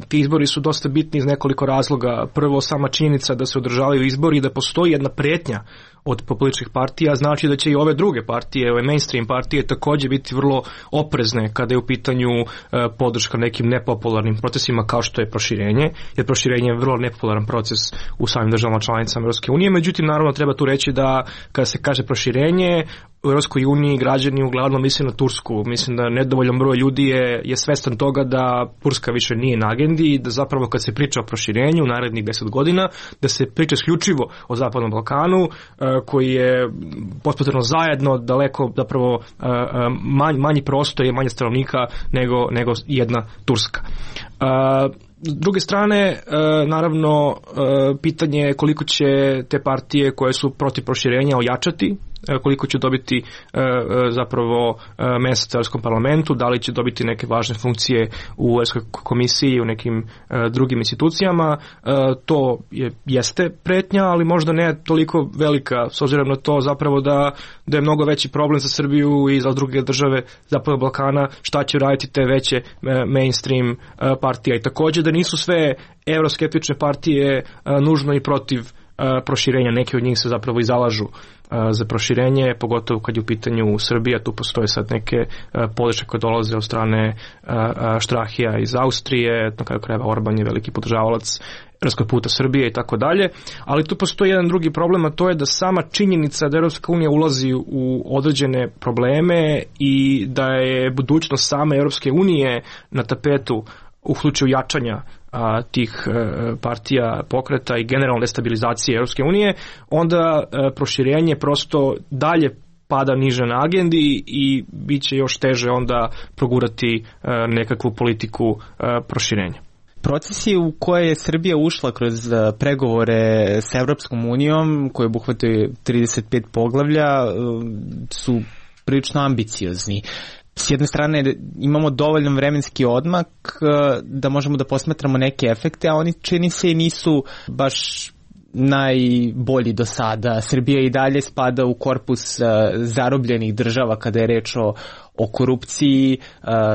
ti izbori su dosta bitni iz nekoliko razloga. Prvo, sama činjenica da se održavaju izbori i da postoji jedna pretnja od političkih partija, znači da će i ove druge partije, ove mainstream partije takođe biti vrlo oprezne kada je u pitanju podrška nekim nepopularnim procesima kao što je proširenje, jer proširenje je vrlo nepopularan proces u samim državama članicama Europske unije. Međutim, naravno treba tu reći da kada se kaže proširenje, u Europskoj uniji građani uglavnom misle na Tursku. Mislim da nedovoljan broj ljudi je, je svestan toga da Turska više nije na agendi i da zapravo kad se priča o proširenju u narednih deset godina, da se priča isključivo o Zapadnom Balkanu, koji je potpuno zajedno daleko zapravo manj, manji prostor i manje stanovnika nego, nego jedna Turska. S druge strane, naravno, pitanje je koliko će te partije koje su protiv proširenja ojačati koliko će dobiti zapravo mesta u Evropskom parlamentu, da li će dobiti neke važne funkcije u Evropskoj komisiji i u nekim drugim institucijama. To je, jeste pretnja, ali možda ne toliko velika, s obzirom na to zapravo da, da je mnogo veći problem za Srbiju i za druge države Zapadnog Balkana šta će raditi te veće mainstream partije. I također da nisu sve euroskeptične partije nužno i protiv proširenja, neke od njih se zapravo i zalažu za proširenje, pogotovo kad je u pitanju Srbija, tu postoje sad neke podrške koje dolaze od strane Štrahija iz Austrije, na kraju krajeva Orban je veliki podržavalac Evropskog puta Srbije i tako dalje, ali tu postoji jedan drugi problem, a to je da sama činjenica da Evropska unija ulazi u određene probleme i da je budućnost same Evropske unije na tapetu u slučaju jačanja a, tih a, partija, pokreta i generalne destabilizacije Evropske unije, onda a, proširenje prosto dalje pada niže na agendi i bit će još teže onda progurati a, nekakvu politiku a, proširenja. Procesi u koje je Srbija ušla kroz pregovore s Evropskom unijom, koje obuhvataju trideset pet poglavlja, su prilično ambiciozni. S jedne strane imamo dovoljan vremenski odmak da možemo da posmatramo neke efekte, a oni čini se i nisu baš najbolji do sada. Srbija i dalje spada u korpus zarobljenih država kada je reč o, o korupciji,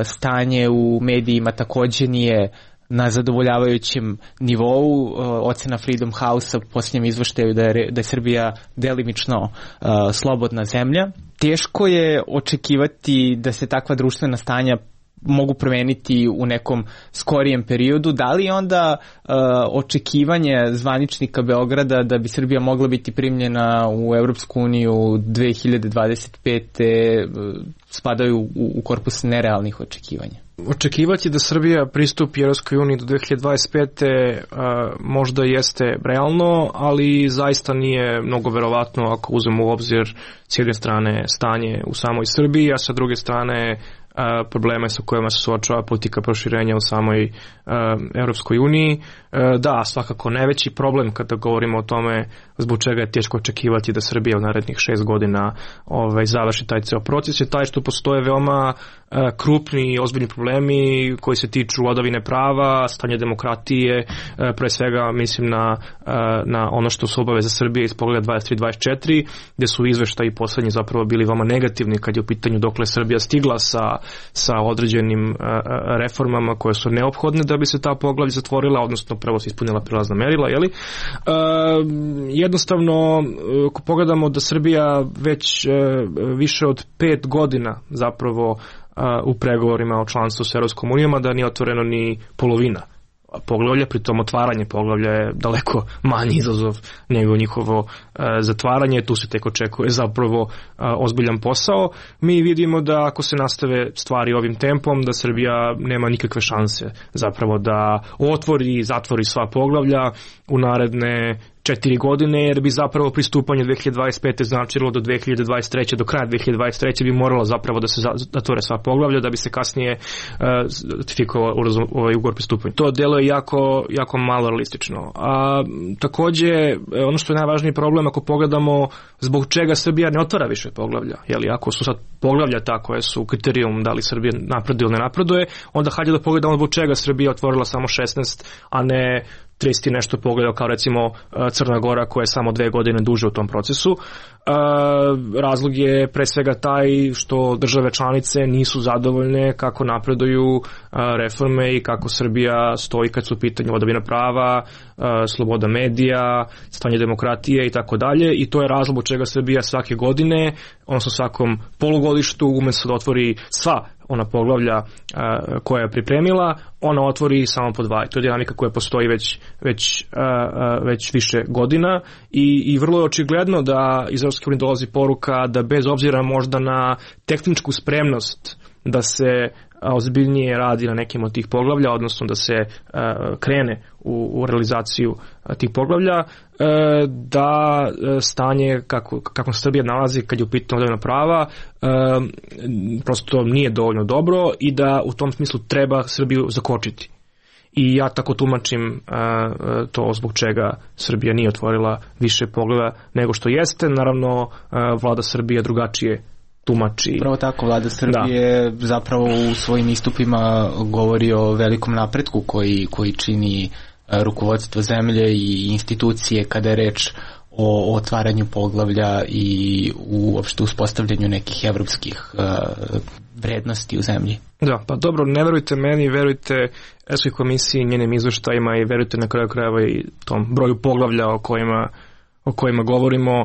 stanje u medijima također nije na zadovoljavajućem nivou. Ocena Freedom House-a u posljednjem izveštaju da je, da je Srbija delimično uh, slobodna zemlja. Teško je očekivati da se takva društvena stanja mogu promeniti u nekom skorijem periodu. Da li onda uh, očekivanje zvaničnika Beograda da bi Srbija mogla biti primljena u Evropsku uniju dve hiljade dvadeset pete uh, spadaju u, u korpus nerealnih očekivanja? Očekivati da Srbija pristupi Evropskoj uniji do dve hiljade dvadeset pete a, možda jeste realno, ali zaista nije mnogo verovatno ako uzmemo u obzir s jedne strane stanje u samoj Srbiji, a sa druge strane a, probleme sa kojima se suočava politika proširenja u samoj a, Evropskoj uniji. A, da, svakako najveći problem kada govorimo o tome zbog čega je teško očekivati da Srbija u narednih šest godina ovaj, završi taj ceo proces je taj što postoje veoma a, krupni i ozbiljni problemi koji se tiču vladavine prava, stanja demokratije, a, pre svega mislim na, a, na ono što su obaveze Srbije iz pogleda dvadeset tri dvadeset četiri, gde su izveštaji poslednji zapravo bili veoma negativni kad je u pitanju dokle Srbija stigla sa, sa određenim a, reformama koje su neophodne da bi se ta poglavlja zatvorila, odnosno prvo se ispunila prilazna merila, jeli? A, jednostavno, ako pogledamo da Srbija već a, više od pet godina zapravo a, u pregovorima o članstvu s Evropskom unijom, da nije otvoreno ni polovina poglavlja, pritom otvaranje poglavlja je daleko manji izazov nego njihovo a, zatvaranje, tu se tek očekuje zapravo a, ozbiljan posao. Mi vidimo da ako se nastave stvari ovim tempom, da Srbija nema nikakve šanse zapravo da otvori i zatvori sva poglavlja u naredne četiri godine, jer bi zapravo pristupanje dve hiljade dvadeset pete značilo do dve hiljade dvadeset treće do kraja dve hiljade dvadeset treće bi moralo zapravo da se zatvore sva poglavlja da bi se kasnije uh, ratifikovao ovaj ugovor pristupanja. To deluje jako, jako malo realistično. A takođe, ono što je najvažniji problem ako pogledamo zbog čega Srbija ne otvara više poglavlja, jeli, ako su sad poglavlja ta koje su kriterijum da li Srbija napreduje ili ne napreduje, onda hajde da pogledamo zbog čega Srbija otvorila samo šesnaest, a ne trideset i nešto pogledao kao recimo Crna Gora koja je samo dve godine duže u tom procesu. Razlog je pre svega taj što države članice nisu zadovoljne kako napreduju reforme i kako Srbija stoji kad su u pitanju vladavina prava, sloboda medija, stanje demokratije i tako dalje, i to je razlog od čega Srbija svake godine, odnosno svakom polugodištu, umjesto da otvori sva ona poglavlja a, koja je pripremila, ona otvori samo po dva. To je dinamika koja postoji već, već, a, a, već više godina i, i vrlo je očigledno da iz Evropske unije dolazi poruka da bez obzira možda na tehničku spremnost da se ozbiljnije radi na nekim od tih poglavlja, odnosno da se uh, krene u, u realizaciju uh, tih poglavlja, uh, da uh, stanje kako, kako se Srbija nalazi kad je u pitanju vladavina prava uh, prosto nije dovoljno dobro i da u tom smislu treba Srbiju zakočiti. i ja tako tumačim to zbog čega Srbija nije otvorila više pogleda nego što jeste. Naravno, vlada Srbije drugačije tumači. Pravo tako, vlada Srbije da. zapravo u svojim istupima govori o velikom napretku koji, koji čini rukovodstvo zemlje i institucije kada je reč o otvaranju poglavlja i uopšte uspostavljanju nekih evropskih uh, vrednosti u zemlji. Da, pa dobro, ne verujte meni, verujte Evropskoj komisiji, njenim izveštajima i verujte na kraju krajeva i tom broju poglavlja o kojima o kojima govorimo.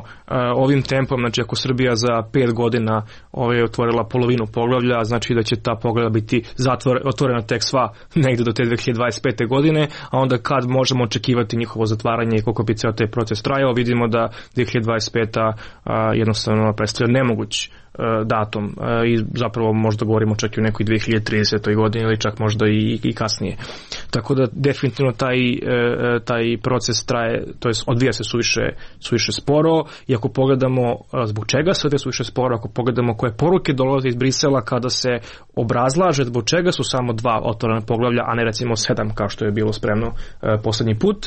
Ovim tempom, znači ako Srbija za pet godina ovaj, otvorila polovinu poglavlja, znači da će ta poglavlja biti zatvor, otvorena tek sva negde do te dve hiljade dvadeset pete godine, a onda kad možemo očekivati njihovo zatvaranje i koliko bi ceo taj proces trajao, vidimo da dve hiljade dvadeset peta a, jednostavno predstavlja nemoguć datum i zapravo možda govorimo čak i u nekoj dve hiljade tridesete godini ili čak možda i, i kasnije. Tako da definitivno taj, taj proces traje, to jest odvija se suviše, suviše sporo i ako pogledamo zbog čega se odvija suviše sporo, ako pogledamo koje poruke dolaze iz Brisela kada se obrazlaže zbog čega su samo dva otvorena poglavlja, a ne recimo sedam kao što je bilo spremno poslednji put,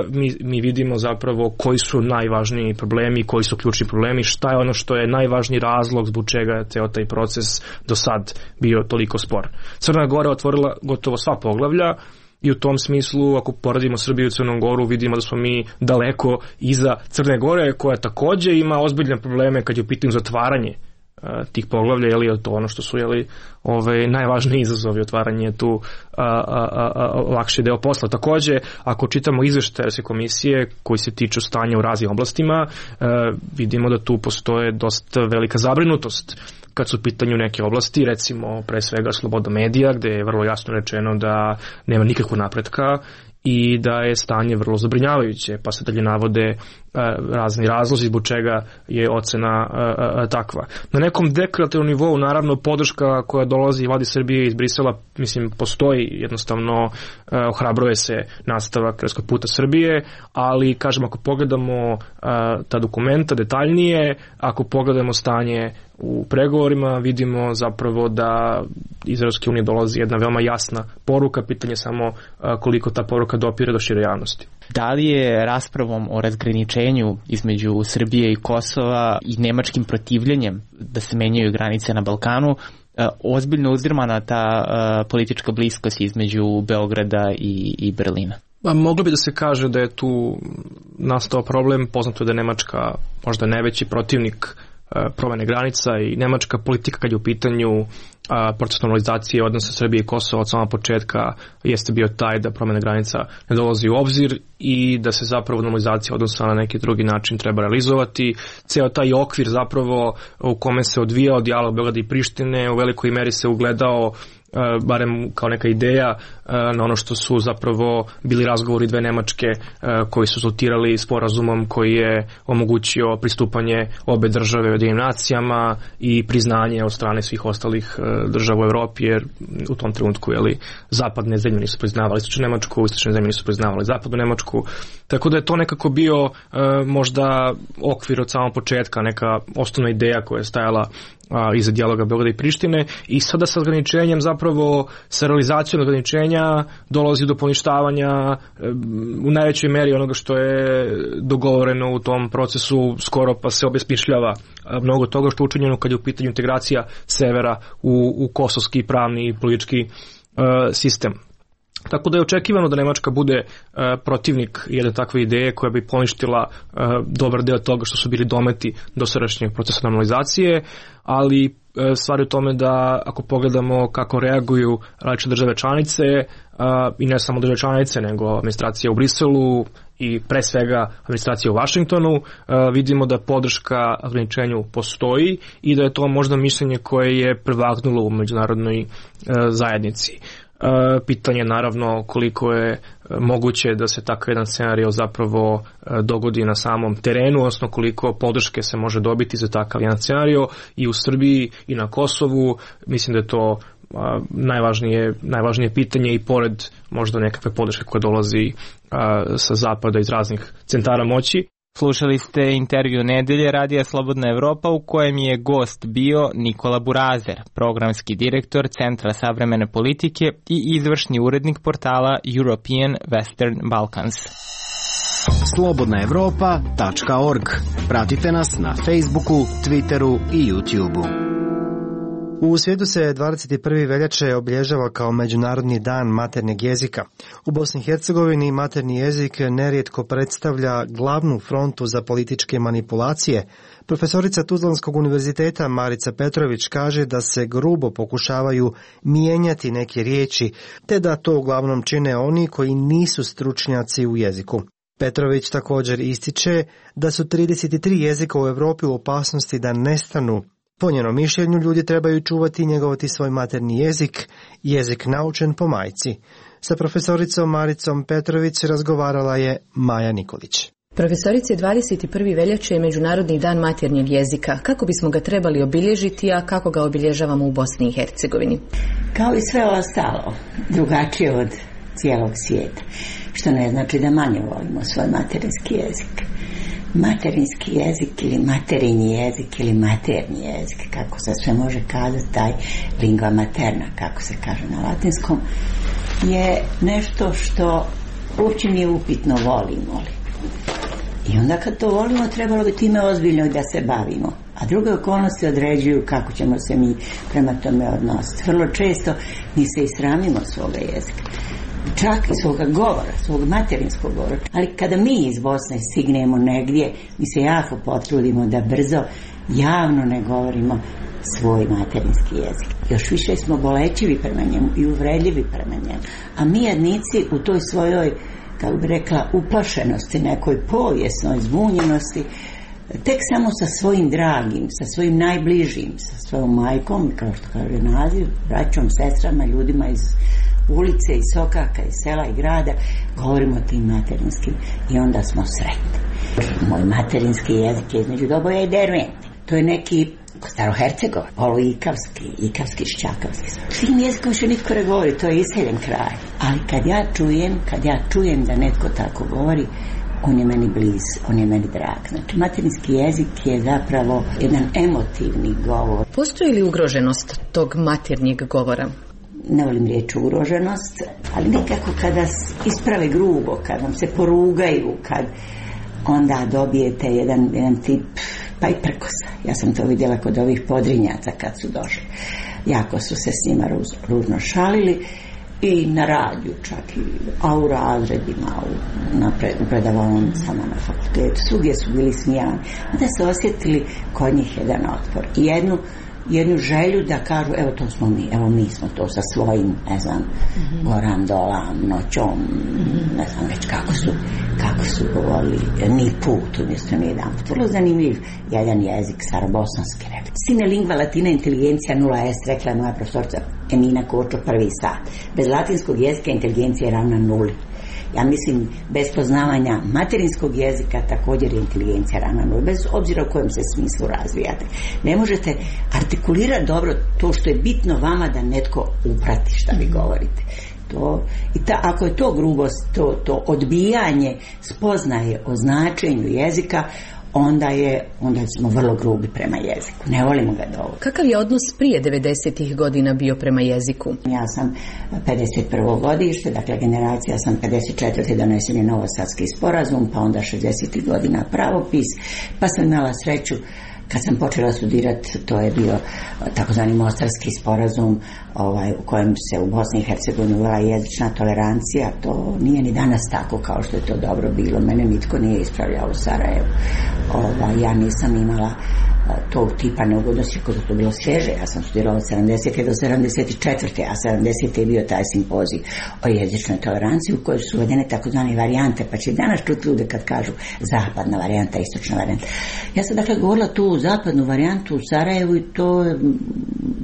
mi, mi vidimo zapravo koji su najvažniji problemi, koji su ključni problemi, šta je ono što je najvažniji razlog zbog čega je ceo taj proces do sad bio toliko spor. Crna Gora otvorila gotovo sva poglavlja i u tom smislu, ako poradimo Srbiju i Crnu Goru, vidimo da smo mi daleko iza Crne Gore, koja takođe ima ozbiljne probleme kad je u pitanju zatvaranje tih poglavlja, je li to ono što su jeli, ove, najvažniji izazovi, otvaranje tu a, a, a, a, lakši deo posla. Takođe, ako čitamo izveštaje Evropske komisije koji se tiču stanja u raznim oblastima, a, vidimo da tu postoje dosta velika zabrinutost kad su u pitanju neke oblasti, recimo pre svega sloboda medija, gde je vrlo jasno rečeno da nema nikakvog napretka i da je stanje vrlo zabrinjavajuće, pa se dalje navode razni razlozi zbog čega je ocena a, a, takva. Na nekom deklarativnom nivou, naravno, podrška koja dolazi vladi Srbije iz Brisela, mislim, postoji, jednostavno a, ohrabruje se nastavak evropskog puta Srbije, ali, kažem, ako pogledamo a, ta dokumenta detaljnije, ako pogledamo stanje u pregovorima, vidimo zapravo da iz Evropske unije dolazi jedna veoma jasna poruka, pitanje samo a, koliko ta poruka dopire do šire javnosti. Da li je raspravom o razgraničenju između Srbije i Kosova i nemačkim protivljenjem da se menjaju granice na Balkanu ozbiljno uzdrmana ta politička bliskost između Beograda i, i Berlina? Moglo bi da se kaže da je tu nastao problem. Poznato je da je Nemačka možda najveći protivnik promene granica i nemačka politika kad je u pitanju a, proces normalizacije odnosa Srbije i Kosova od samog početka jeste bio taj da promene granica ne dolazi u obzir i da se zapravo normalizacija odnosa na neki drugi način treba realizovati. Ceo taj okvir zapravo u kome se odvijao dijalog Beograda i Prištine u velikoj meri se ugledao barem kao neka ideja na ono što su zapravo bili razgovori dve Nemačke koji su rezultirali sporazumom koji je omogućio pristupanje obe države Ujedinjenim nacijama i priznanje od strane svih ostalih država u Evropi, jer u tom trenutku jeli, zapadne zemlje nisu priznavali istočnu Nemačku, istočne zemlje nisu priznavali zapadnu Nemačku, tako da je to nekako bio možda okvir od samog početka, neka osnovna ideja koja je stajala a, iza dijaloga Beograda i Prištine i sada sa ograničenjem zapravo sa realizacijom ograničenja dolazi do poništavanja e, u najvećoj meri onoga što je dogovoreno u tom procesu, skoro pa se obesmišljava mnogo toga što je učinjeno kad je u pitanju integracija severa u, u kosovski pravni i politički e, sistem. Tako da je očekivano da Nemačka bude uh, protivnik jedne takve ideje koja bi poništila uh, dobar deo toga što su bili dometi dosadašnjeg procesa normalizacije, ali uh, stvar je u tome da ako pogledamo kako reaguju različite države članice uh, i ne samo države članice nego administracija u Briselu i pre svega administracija u Vašingtonu, uh, vidimo da podrška ograničenju postoji i da je to možda mišljenje koje je prevagnulo u međunarodnoj uh, zajednici. Uh, pitanje naravno koliko je uh, moguće da se takav jedan scenario zapravo uh, dogodi na samom terenu, odnosno koliko podrške se može dobiti za takav jedan scenario i u Srbiji i na Kosovu. Mislim da je to uh, najvažnije, najvažnije pitanje i pored možda nekakve podrške koja dolazi uh, sa zapada iz raznih centara moći. Slušali ste intervju nedelje Radija Slobodna Evropa u kojem je gost bio Nikola Burazer, programski direktor Centra savremene politike i izvršni urednik portala European Western Balkans. slobodna evropa tačka org. Pratite nas na Facebooku, Twitteru i YouTubeu. U svijetu se dvadeset prvi veljače obilježava kao Međunarodni dan maternjeg jezika. U Bosni i Hercegovini materni jezik nerijetko predstavlja glavnu frontu za političke manipulacije. Profesorica Tuzlanskog univerziteta Marica Petrović kaže da se grubo pokušavaju mijenjati neke riječi, te da to uglavnom čine oni koji nisu stručnjaci u jeziku. Petrović također ističe da su trideset tri jezika u Europi u opasnosti da nestanu. Po njenom mišljenju ljudi trebaju čuvati i njegovati svoj materni jezik, jezik naučen po majci. Sa profesoricom Maricom Petrović razgovarala je Maja Nikolić. Profesorice, dvadeset prvi veljače je Međunarodni dan maternjeg jezika. Kako bismo ga trebali obilježiti, a kako ga obilježavamo u Bosni i Hercegovini? Kao i sve ostalo, drugačije od cijelog svijeta, što ne znači da manje volimo svoj materinski jezik. Materinski jezik ili materinji jezik ili materni jezik, kako se sve može kazati, taj lingua materna, kako se kaže na latinskom, je nešto što uopće nije upitno volimo li. I onda kad to volimo, trebalo bi time ozbiljno da se bavimo. A druge okolnosti određuju kako ćemo se mi prema tome odnositi. Vrlo često mi se i sramimo svoga jezika. Čak i svoga govora, svog materinskog govora. Ali kada mi iz Bosne stignemo negdje, mi se jako potrudimo da brzo javno ne govorimo svoj materinski jezik. Još više smo bolećivi prema njemu i uvredljivi prema njemu. A mi jednici u toj svojoj, kako bi rekla, uplašenosti, nekoj povijesnoj zbunjenosti, tek samo sa svojim dragim, sa svojim najbližim, sa svojom majkom, kao što kaže naziv, braćom, sestrama, ljudima iz ulice, iz sokaka, iz sela i grada, govorimo tim materinskim i onda smo sretni. Moj materinski jezik je između Doboja i Dervente. To je neki starohercegov, poluikavski, ikavski, šćakavski. Svim jezikom više nitko ne govori, to je iseljen kraj. Ali kad ja čujem, kad ja čujem da netko tako govori, on je meni bliz, on je meni drag. Znači, materinski jezik je zapravo jedan emotivni govor. Postoji li ugroženost tog maternjeg govora? Ne volim riječ ugroženost, ali nekako kada isprave grubo, kad vam se porugaju, kad onda dobijete jedan, jedan tip, pa i prkosa. Ja sam to vidjela kod ovih podrinjaca kad su došli. Jako su se s njima ruz, ružno šalili i na radiju čak, i, a u razredima, u, na pred, predavaonicama na fakultetu. Svugdje su bili smijani. Onda se osjetili kod njih jedan otpor. I jednu jednu želju da kažu, evo to smo mi, evo mi smo to sa svojim, ne znam, mm-hmm. goram, dolam, noćom, mm-hmm. ne znam već kako su, kako su govorili, ni put umjesto ni jedan put. Vrlo zanimljiv jedan jezik, starobosanski rekli. Sine lingva latina inteligencija nula est, rekla je moja profesorica Emina Kočo prvi sat. Bez latinskog jezika inteligencija je ravna nuli. Ja mislim, bez poznavanja materinskog jezika također je inteligencija ravna nuli, bez obzira u kojem se smislu razvijate. Ne možete artikulirati dobro to što je bitno vama da netko uprati šta vi govorite. To, i ta, ako je to grubost, to, to odbijanje spoznaje o značenju jezika, onda je, onda smo vrlo grubi prema jeziku. Ne volimo ga dovoljno. Kakav je odnos prije devedesetih godina bio prema jeziku? Ja sam pedeset prvo godište, dakle generacija sam pedeset četvrte donesen je Novosadski sporazum, pa onda šezdesetih godina pravopis, pa sam imala sreću kad sam počela studirati, to je bio takozvani Mostarski sporazum, ovaj, u kojem se u Bosni i Hercegovini uvela jezična tolerancija. To nije ni danas tako kao što je to dobro bilo. Mene nitko nije ispravljao u Sarajevu. Ovaj, ja nisam imala tog tipa neugodnosti kako je to bilo svježe. Ja sam studirala od sedamdesete do sedamdeset četvrte a sedamdesete je bio taj simpozij o jezičnoj toleranciji u kojoj su uvedene takozvane varijante, pa će danas čuti ljude kad kažu zapadna varijanta, istočna varijanta. Ja sam dakle govorila tu zapadnu varijantu u Sarajevu i to je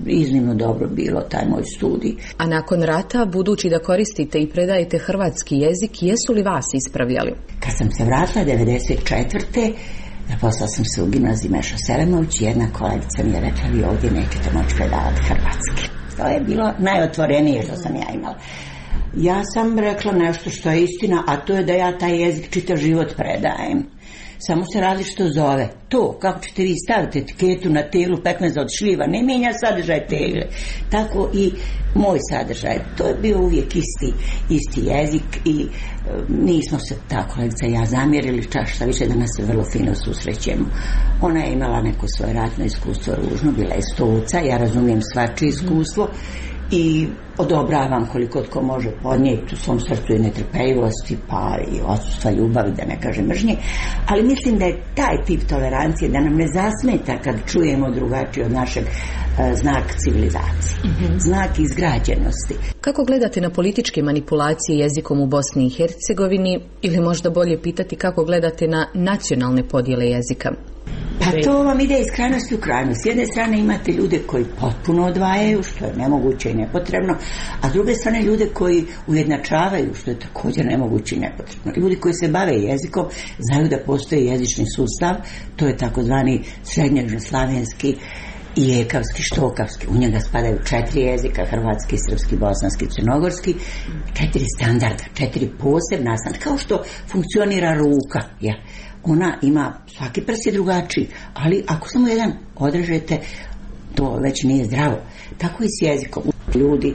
iznimno dobro bilo, taj moj studij. A nakon rata, budući da koristite i predajete hrvatski jezik, jesu li vas ispravljali? Kad sam se vratila devedeset četvrte zaposlala sam se u gimnaziji Meša Selemović i jedna kolegica mi je rekla, vi ovdje nećete moći predavati hrvatski. To je bilo najotvorenije što sam ja imala. Ja sam rekla nešto što je istina, a to je da ja taj jezik čitav život predajem. samo se različito zove. To, kako ćete vi staviti etiketu na teglu pekmeza od šljiva, ne mijenja sadržaj tegle. Tako i moj sadržaj. To je bio uvijek isti, isti jezik i e, nismo se tako, kolegica i ja, zamjerili, čak šta više danas se vrlo fino susrećemo. Ona je imala neko svoje ratno iskustvo ružno, bila je stolca, ja razumijem svačije iskustvo i odobravam koliko tko može podnijeti u svom srcu i netrpeljivosti, pa i odsustva ljubavi, da ne kažem mržnje, ali mislim da je taj tip tolerancije da nam ne zasmeta kad čujemo drugačije od našeg e, znak civilizacije, mm-hmm. znak izgrađenosti. Kako gledate na političke manipulacije jezikom u Bosni i Hercegovini, ili možda bolje pitati kako gledate na nacionalne podjele jezika? Pa to vam ide iz krajnosti u krajnost. S jedne strane imate ljude koji potpuno odvajaju, što je nemoguće i nepotrebno, a s druge strane ljude koji ujednačavaju, što je također nemoguće i nepotrebno. Ljudi koji se bave jezikom znaju da postoji jezični sustav, to je takozvani srednjoslavenski i ekavski, štokavski. U njega spadaju četiri jezika, hrvatski, srpski, bosanski, crnogorski, četiri standarda, četiri posebna standarda, kao što funkcionira ruka, ja. Ona ima, svaki prst je drugačiji, ali ako samo jedan odrežete, to već nije zdravo. Tako i s jezikom. Ljudi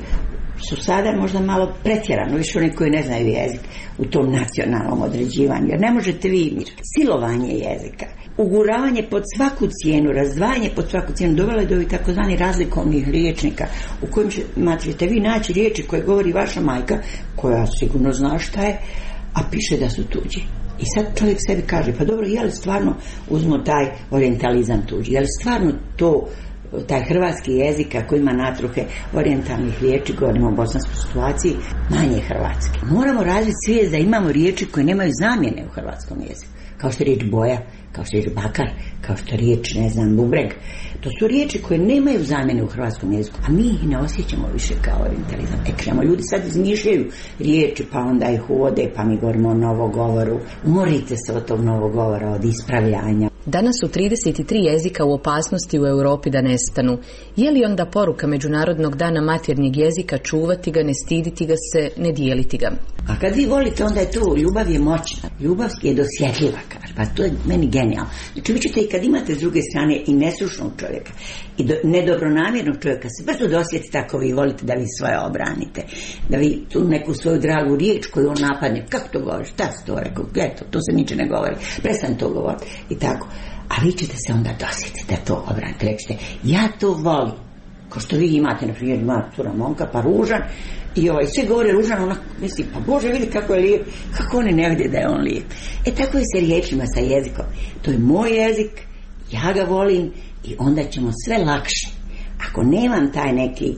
su sada možda malo pretjerano, više oni koji ne znaju jezik u tom nacionalnom određivanju, jer ne možete vi silovanje jezika, uguravanje pod svaku cijenu, razdvajanje pod svaku cijenu dovelo je do ovih takozvani razlikovnih riječnika u kojim ćete vi naći riječi koje govori vaša majka, koja sigurno zna šta je, a piše da su tuđi. I sad čovjek sebi kaže, pa dobro, je li stvarno, uzmo taj orijentalizam tuđi, je li stvarno to, taj hrvatski jezik ako ima natruhe orijentalnih riječi, govorimo o bosanskoj situaciji, manje hrvatski. Moramo razviti svijest da imamo riječi koje nemaju zamjene u hrvatskom jeziku, kao što je riječ boja, kao što je riječ bakar, kao što je riječ, ne znam, bubreg. To su riječi koje nemaju zamjene u hrvatskom jeziku, a mi ih ne osjećamo više kao orijentalizam. E, kremo, ljudi sad izmišljaju riječi, pa onda ih uvode, pa mi govorimo o novogovoru. Umorite se od tog novogovora, od ispravljanja. Danas su trideset tri jezika u opasnosti u Europi da nestanu. Je li onda poruka Međunarodnog dana maternjeg jezika čuvati ga, ne stiditi ga se, ne dijeliti ga? A kad vi volite, onda je to, ljubav je moćna, ljubav je dosjetljiva, kaže, pa to je meni genijalno. Znači vi ćete i kad imate s druge strane i nesrušnog čovjeka i do, nedobronamjernog čovjeka se brzo dosjeti tako vi volite da vi svoje obranite, da vi tu neku svoju dragu riječ koju on napadne, kako to govoriš, šta si to rekao, eto, to se niče ne govori, prestan to govoriti i tako. A vi ćete se onda dosjetiti da to obranite, rekćete, ja to volim. Kao što vi imate, na primjer, ima cura momka, pa ružan, i ovaj, sve govore ružan, ona misli, pa Bože, vidi kako je lijep, kako oni ne vide da je on lijep. E, tako je sa riječima, sa jezikom. To je moj jezik, ja ga volim i onda ćemo sve lakše. Ako nemam taj neki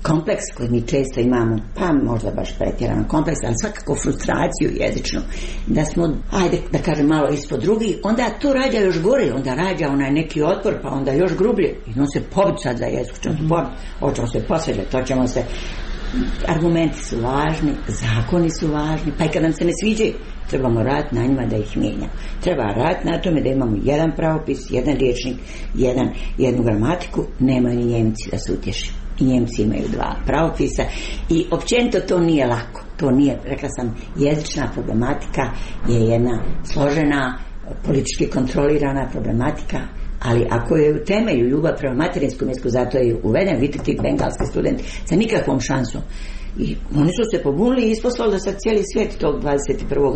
kompleks koji mi često imamo, pa možda baš pretjerano kompleks, ali svakako frustraciju jezičnu, da smo, ajde da kažem, malo ispod drugi, onda to rađa još gore, onda rađa onaj neki otpor, pa onda još grublje, i on se pobiti sad za jezik, ćemo se pobiti, hoćemo se posveđati, to ćemo se, argumenti su važni, zakoni su važni, pa i kad nam se ne sviđaju, trebamo raditi na njima da ih mijenjamo. Treba raditi na tome da imamo jedan pravopis, jedan riječnik, jedan, jednu gramatiku, nemaju ni Njemci da se utješi. I Njemci imaju dva pravopisa i općenito to nije lako. To nije, rekla sam, jezična problematika je jedna složena, politički kontrolirana problematika, ali ako je u temelju ljubav prema materinskom jeziku, zato je uveden, vidite ti bengalski studenti sa nikakvom šansom. I oni su se pobunili i isposlali da sad cijeli svijet tog dvadeset prvog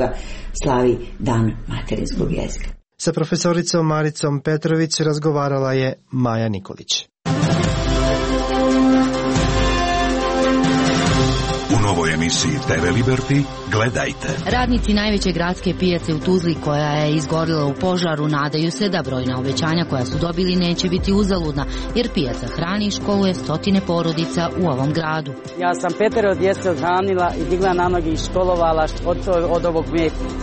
slavi dan materinskog jezika. Sa profesoricom Maricom Petrović razgovarala je Maja Nikolić. U novoj emisiji te ve Liberty gledajte. Radnici najveće gradske pijace u Tuzli, koja je izgorila u požaru, nadaju se da brojna obećanja koja su dobili neće biti uzaludna, jer pijaca hrani i školuje stotine porodica u ovom gradu. Ja sam petero djece odhranila i digla na noge i školovala od, od ovog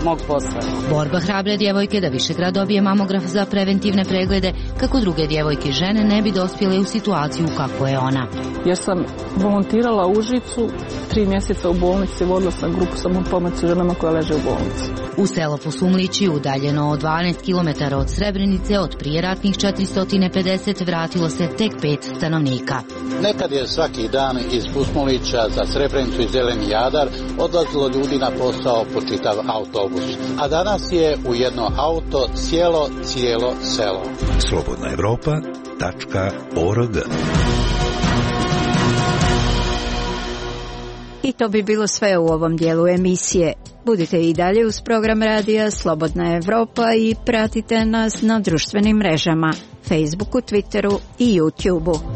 mog posla. Borba hrabre djevojke da Višegrad dobije mamograf za preventivne preglede, kako druge djevojke i žene ne bi dospjele u situaciju kako je ona. Jer sam volontirala u Užicu tri mjeseca mjeseca u bolnici, vodila sam grupu samopomoći ženama koja leže u bolnici. U selo Pusumlići, udaljeno od dvanaest kilometara od Srebrenice, od prijeratnih četiristo pedeset vratilo se tek pet stanovnika. Nekad je svaki dan iz Pusmulića za Srebrenicu i Zeleni Jadar odlazilo ljudi na posao po čitav autobus. A danas je u jedno auto sjelo cijelo selo. slobodna evropa tačka org. I to bi bilo sve u ovom dijelu emisije. Budite i dalje uz program radija Slobodna Evropa i pratite nas na društvenim mrežama, Facebooku, Twitteru i YouTubeu.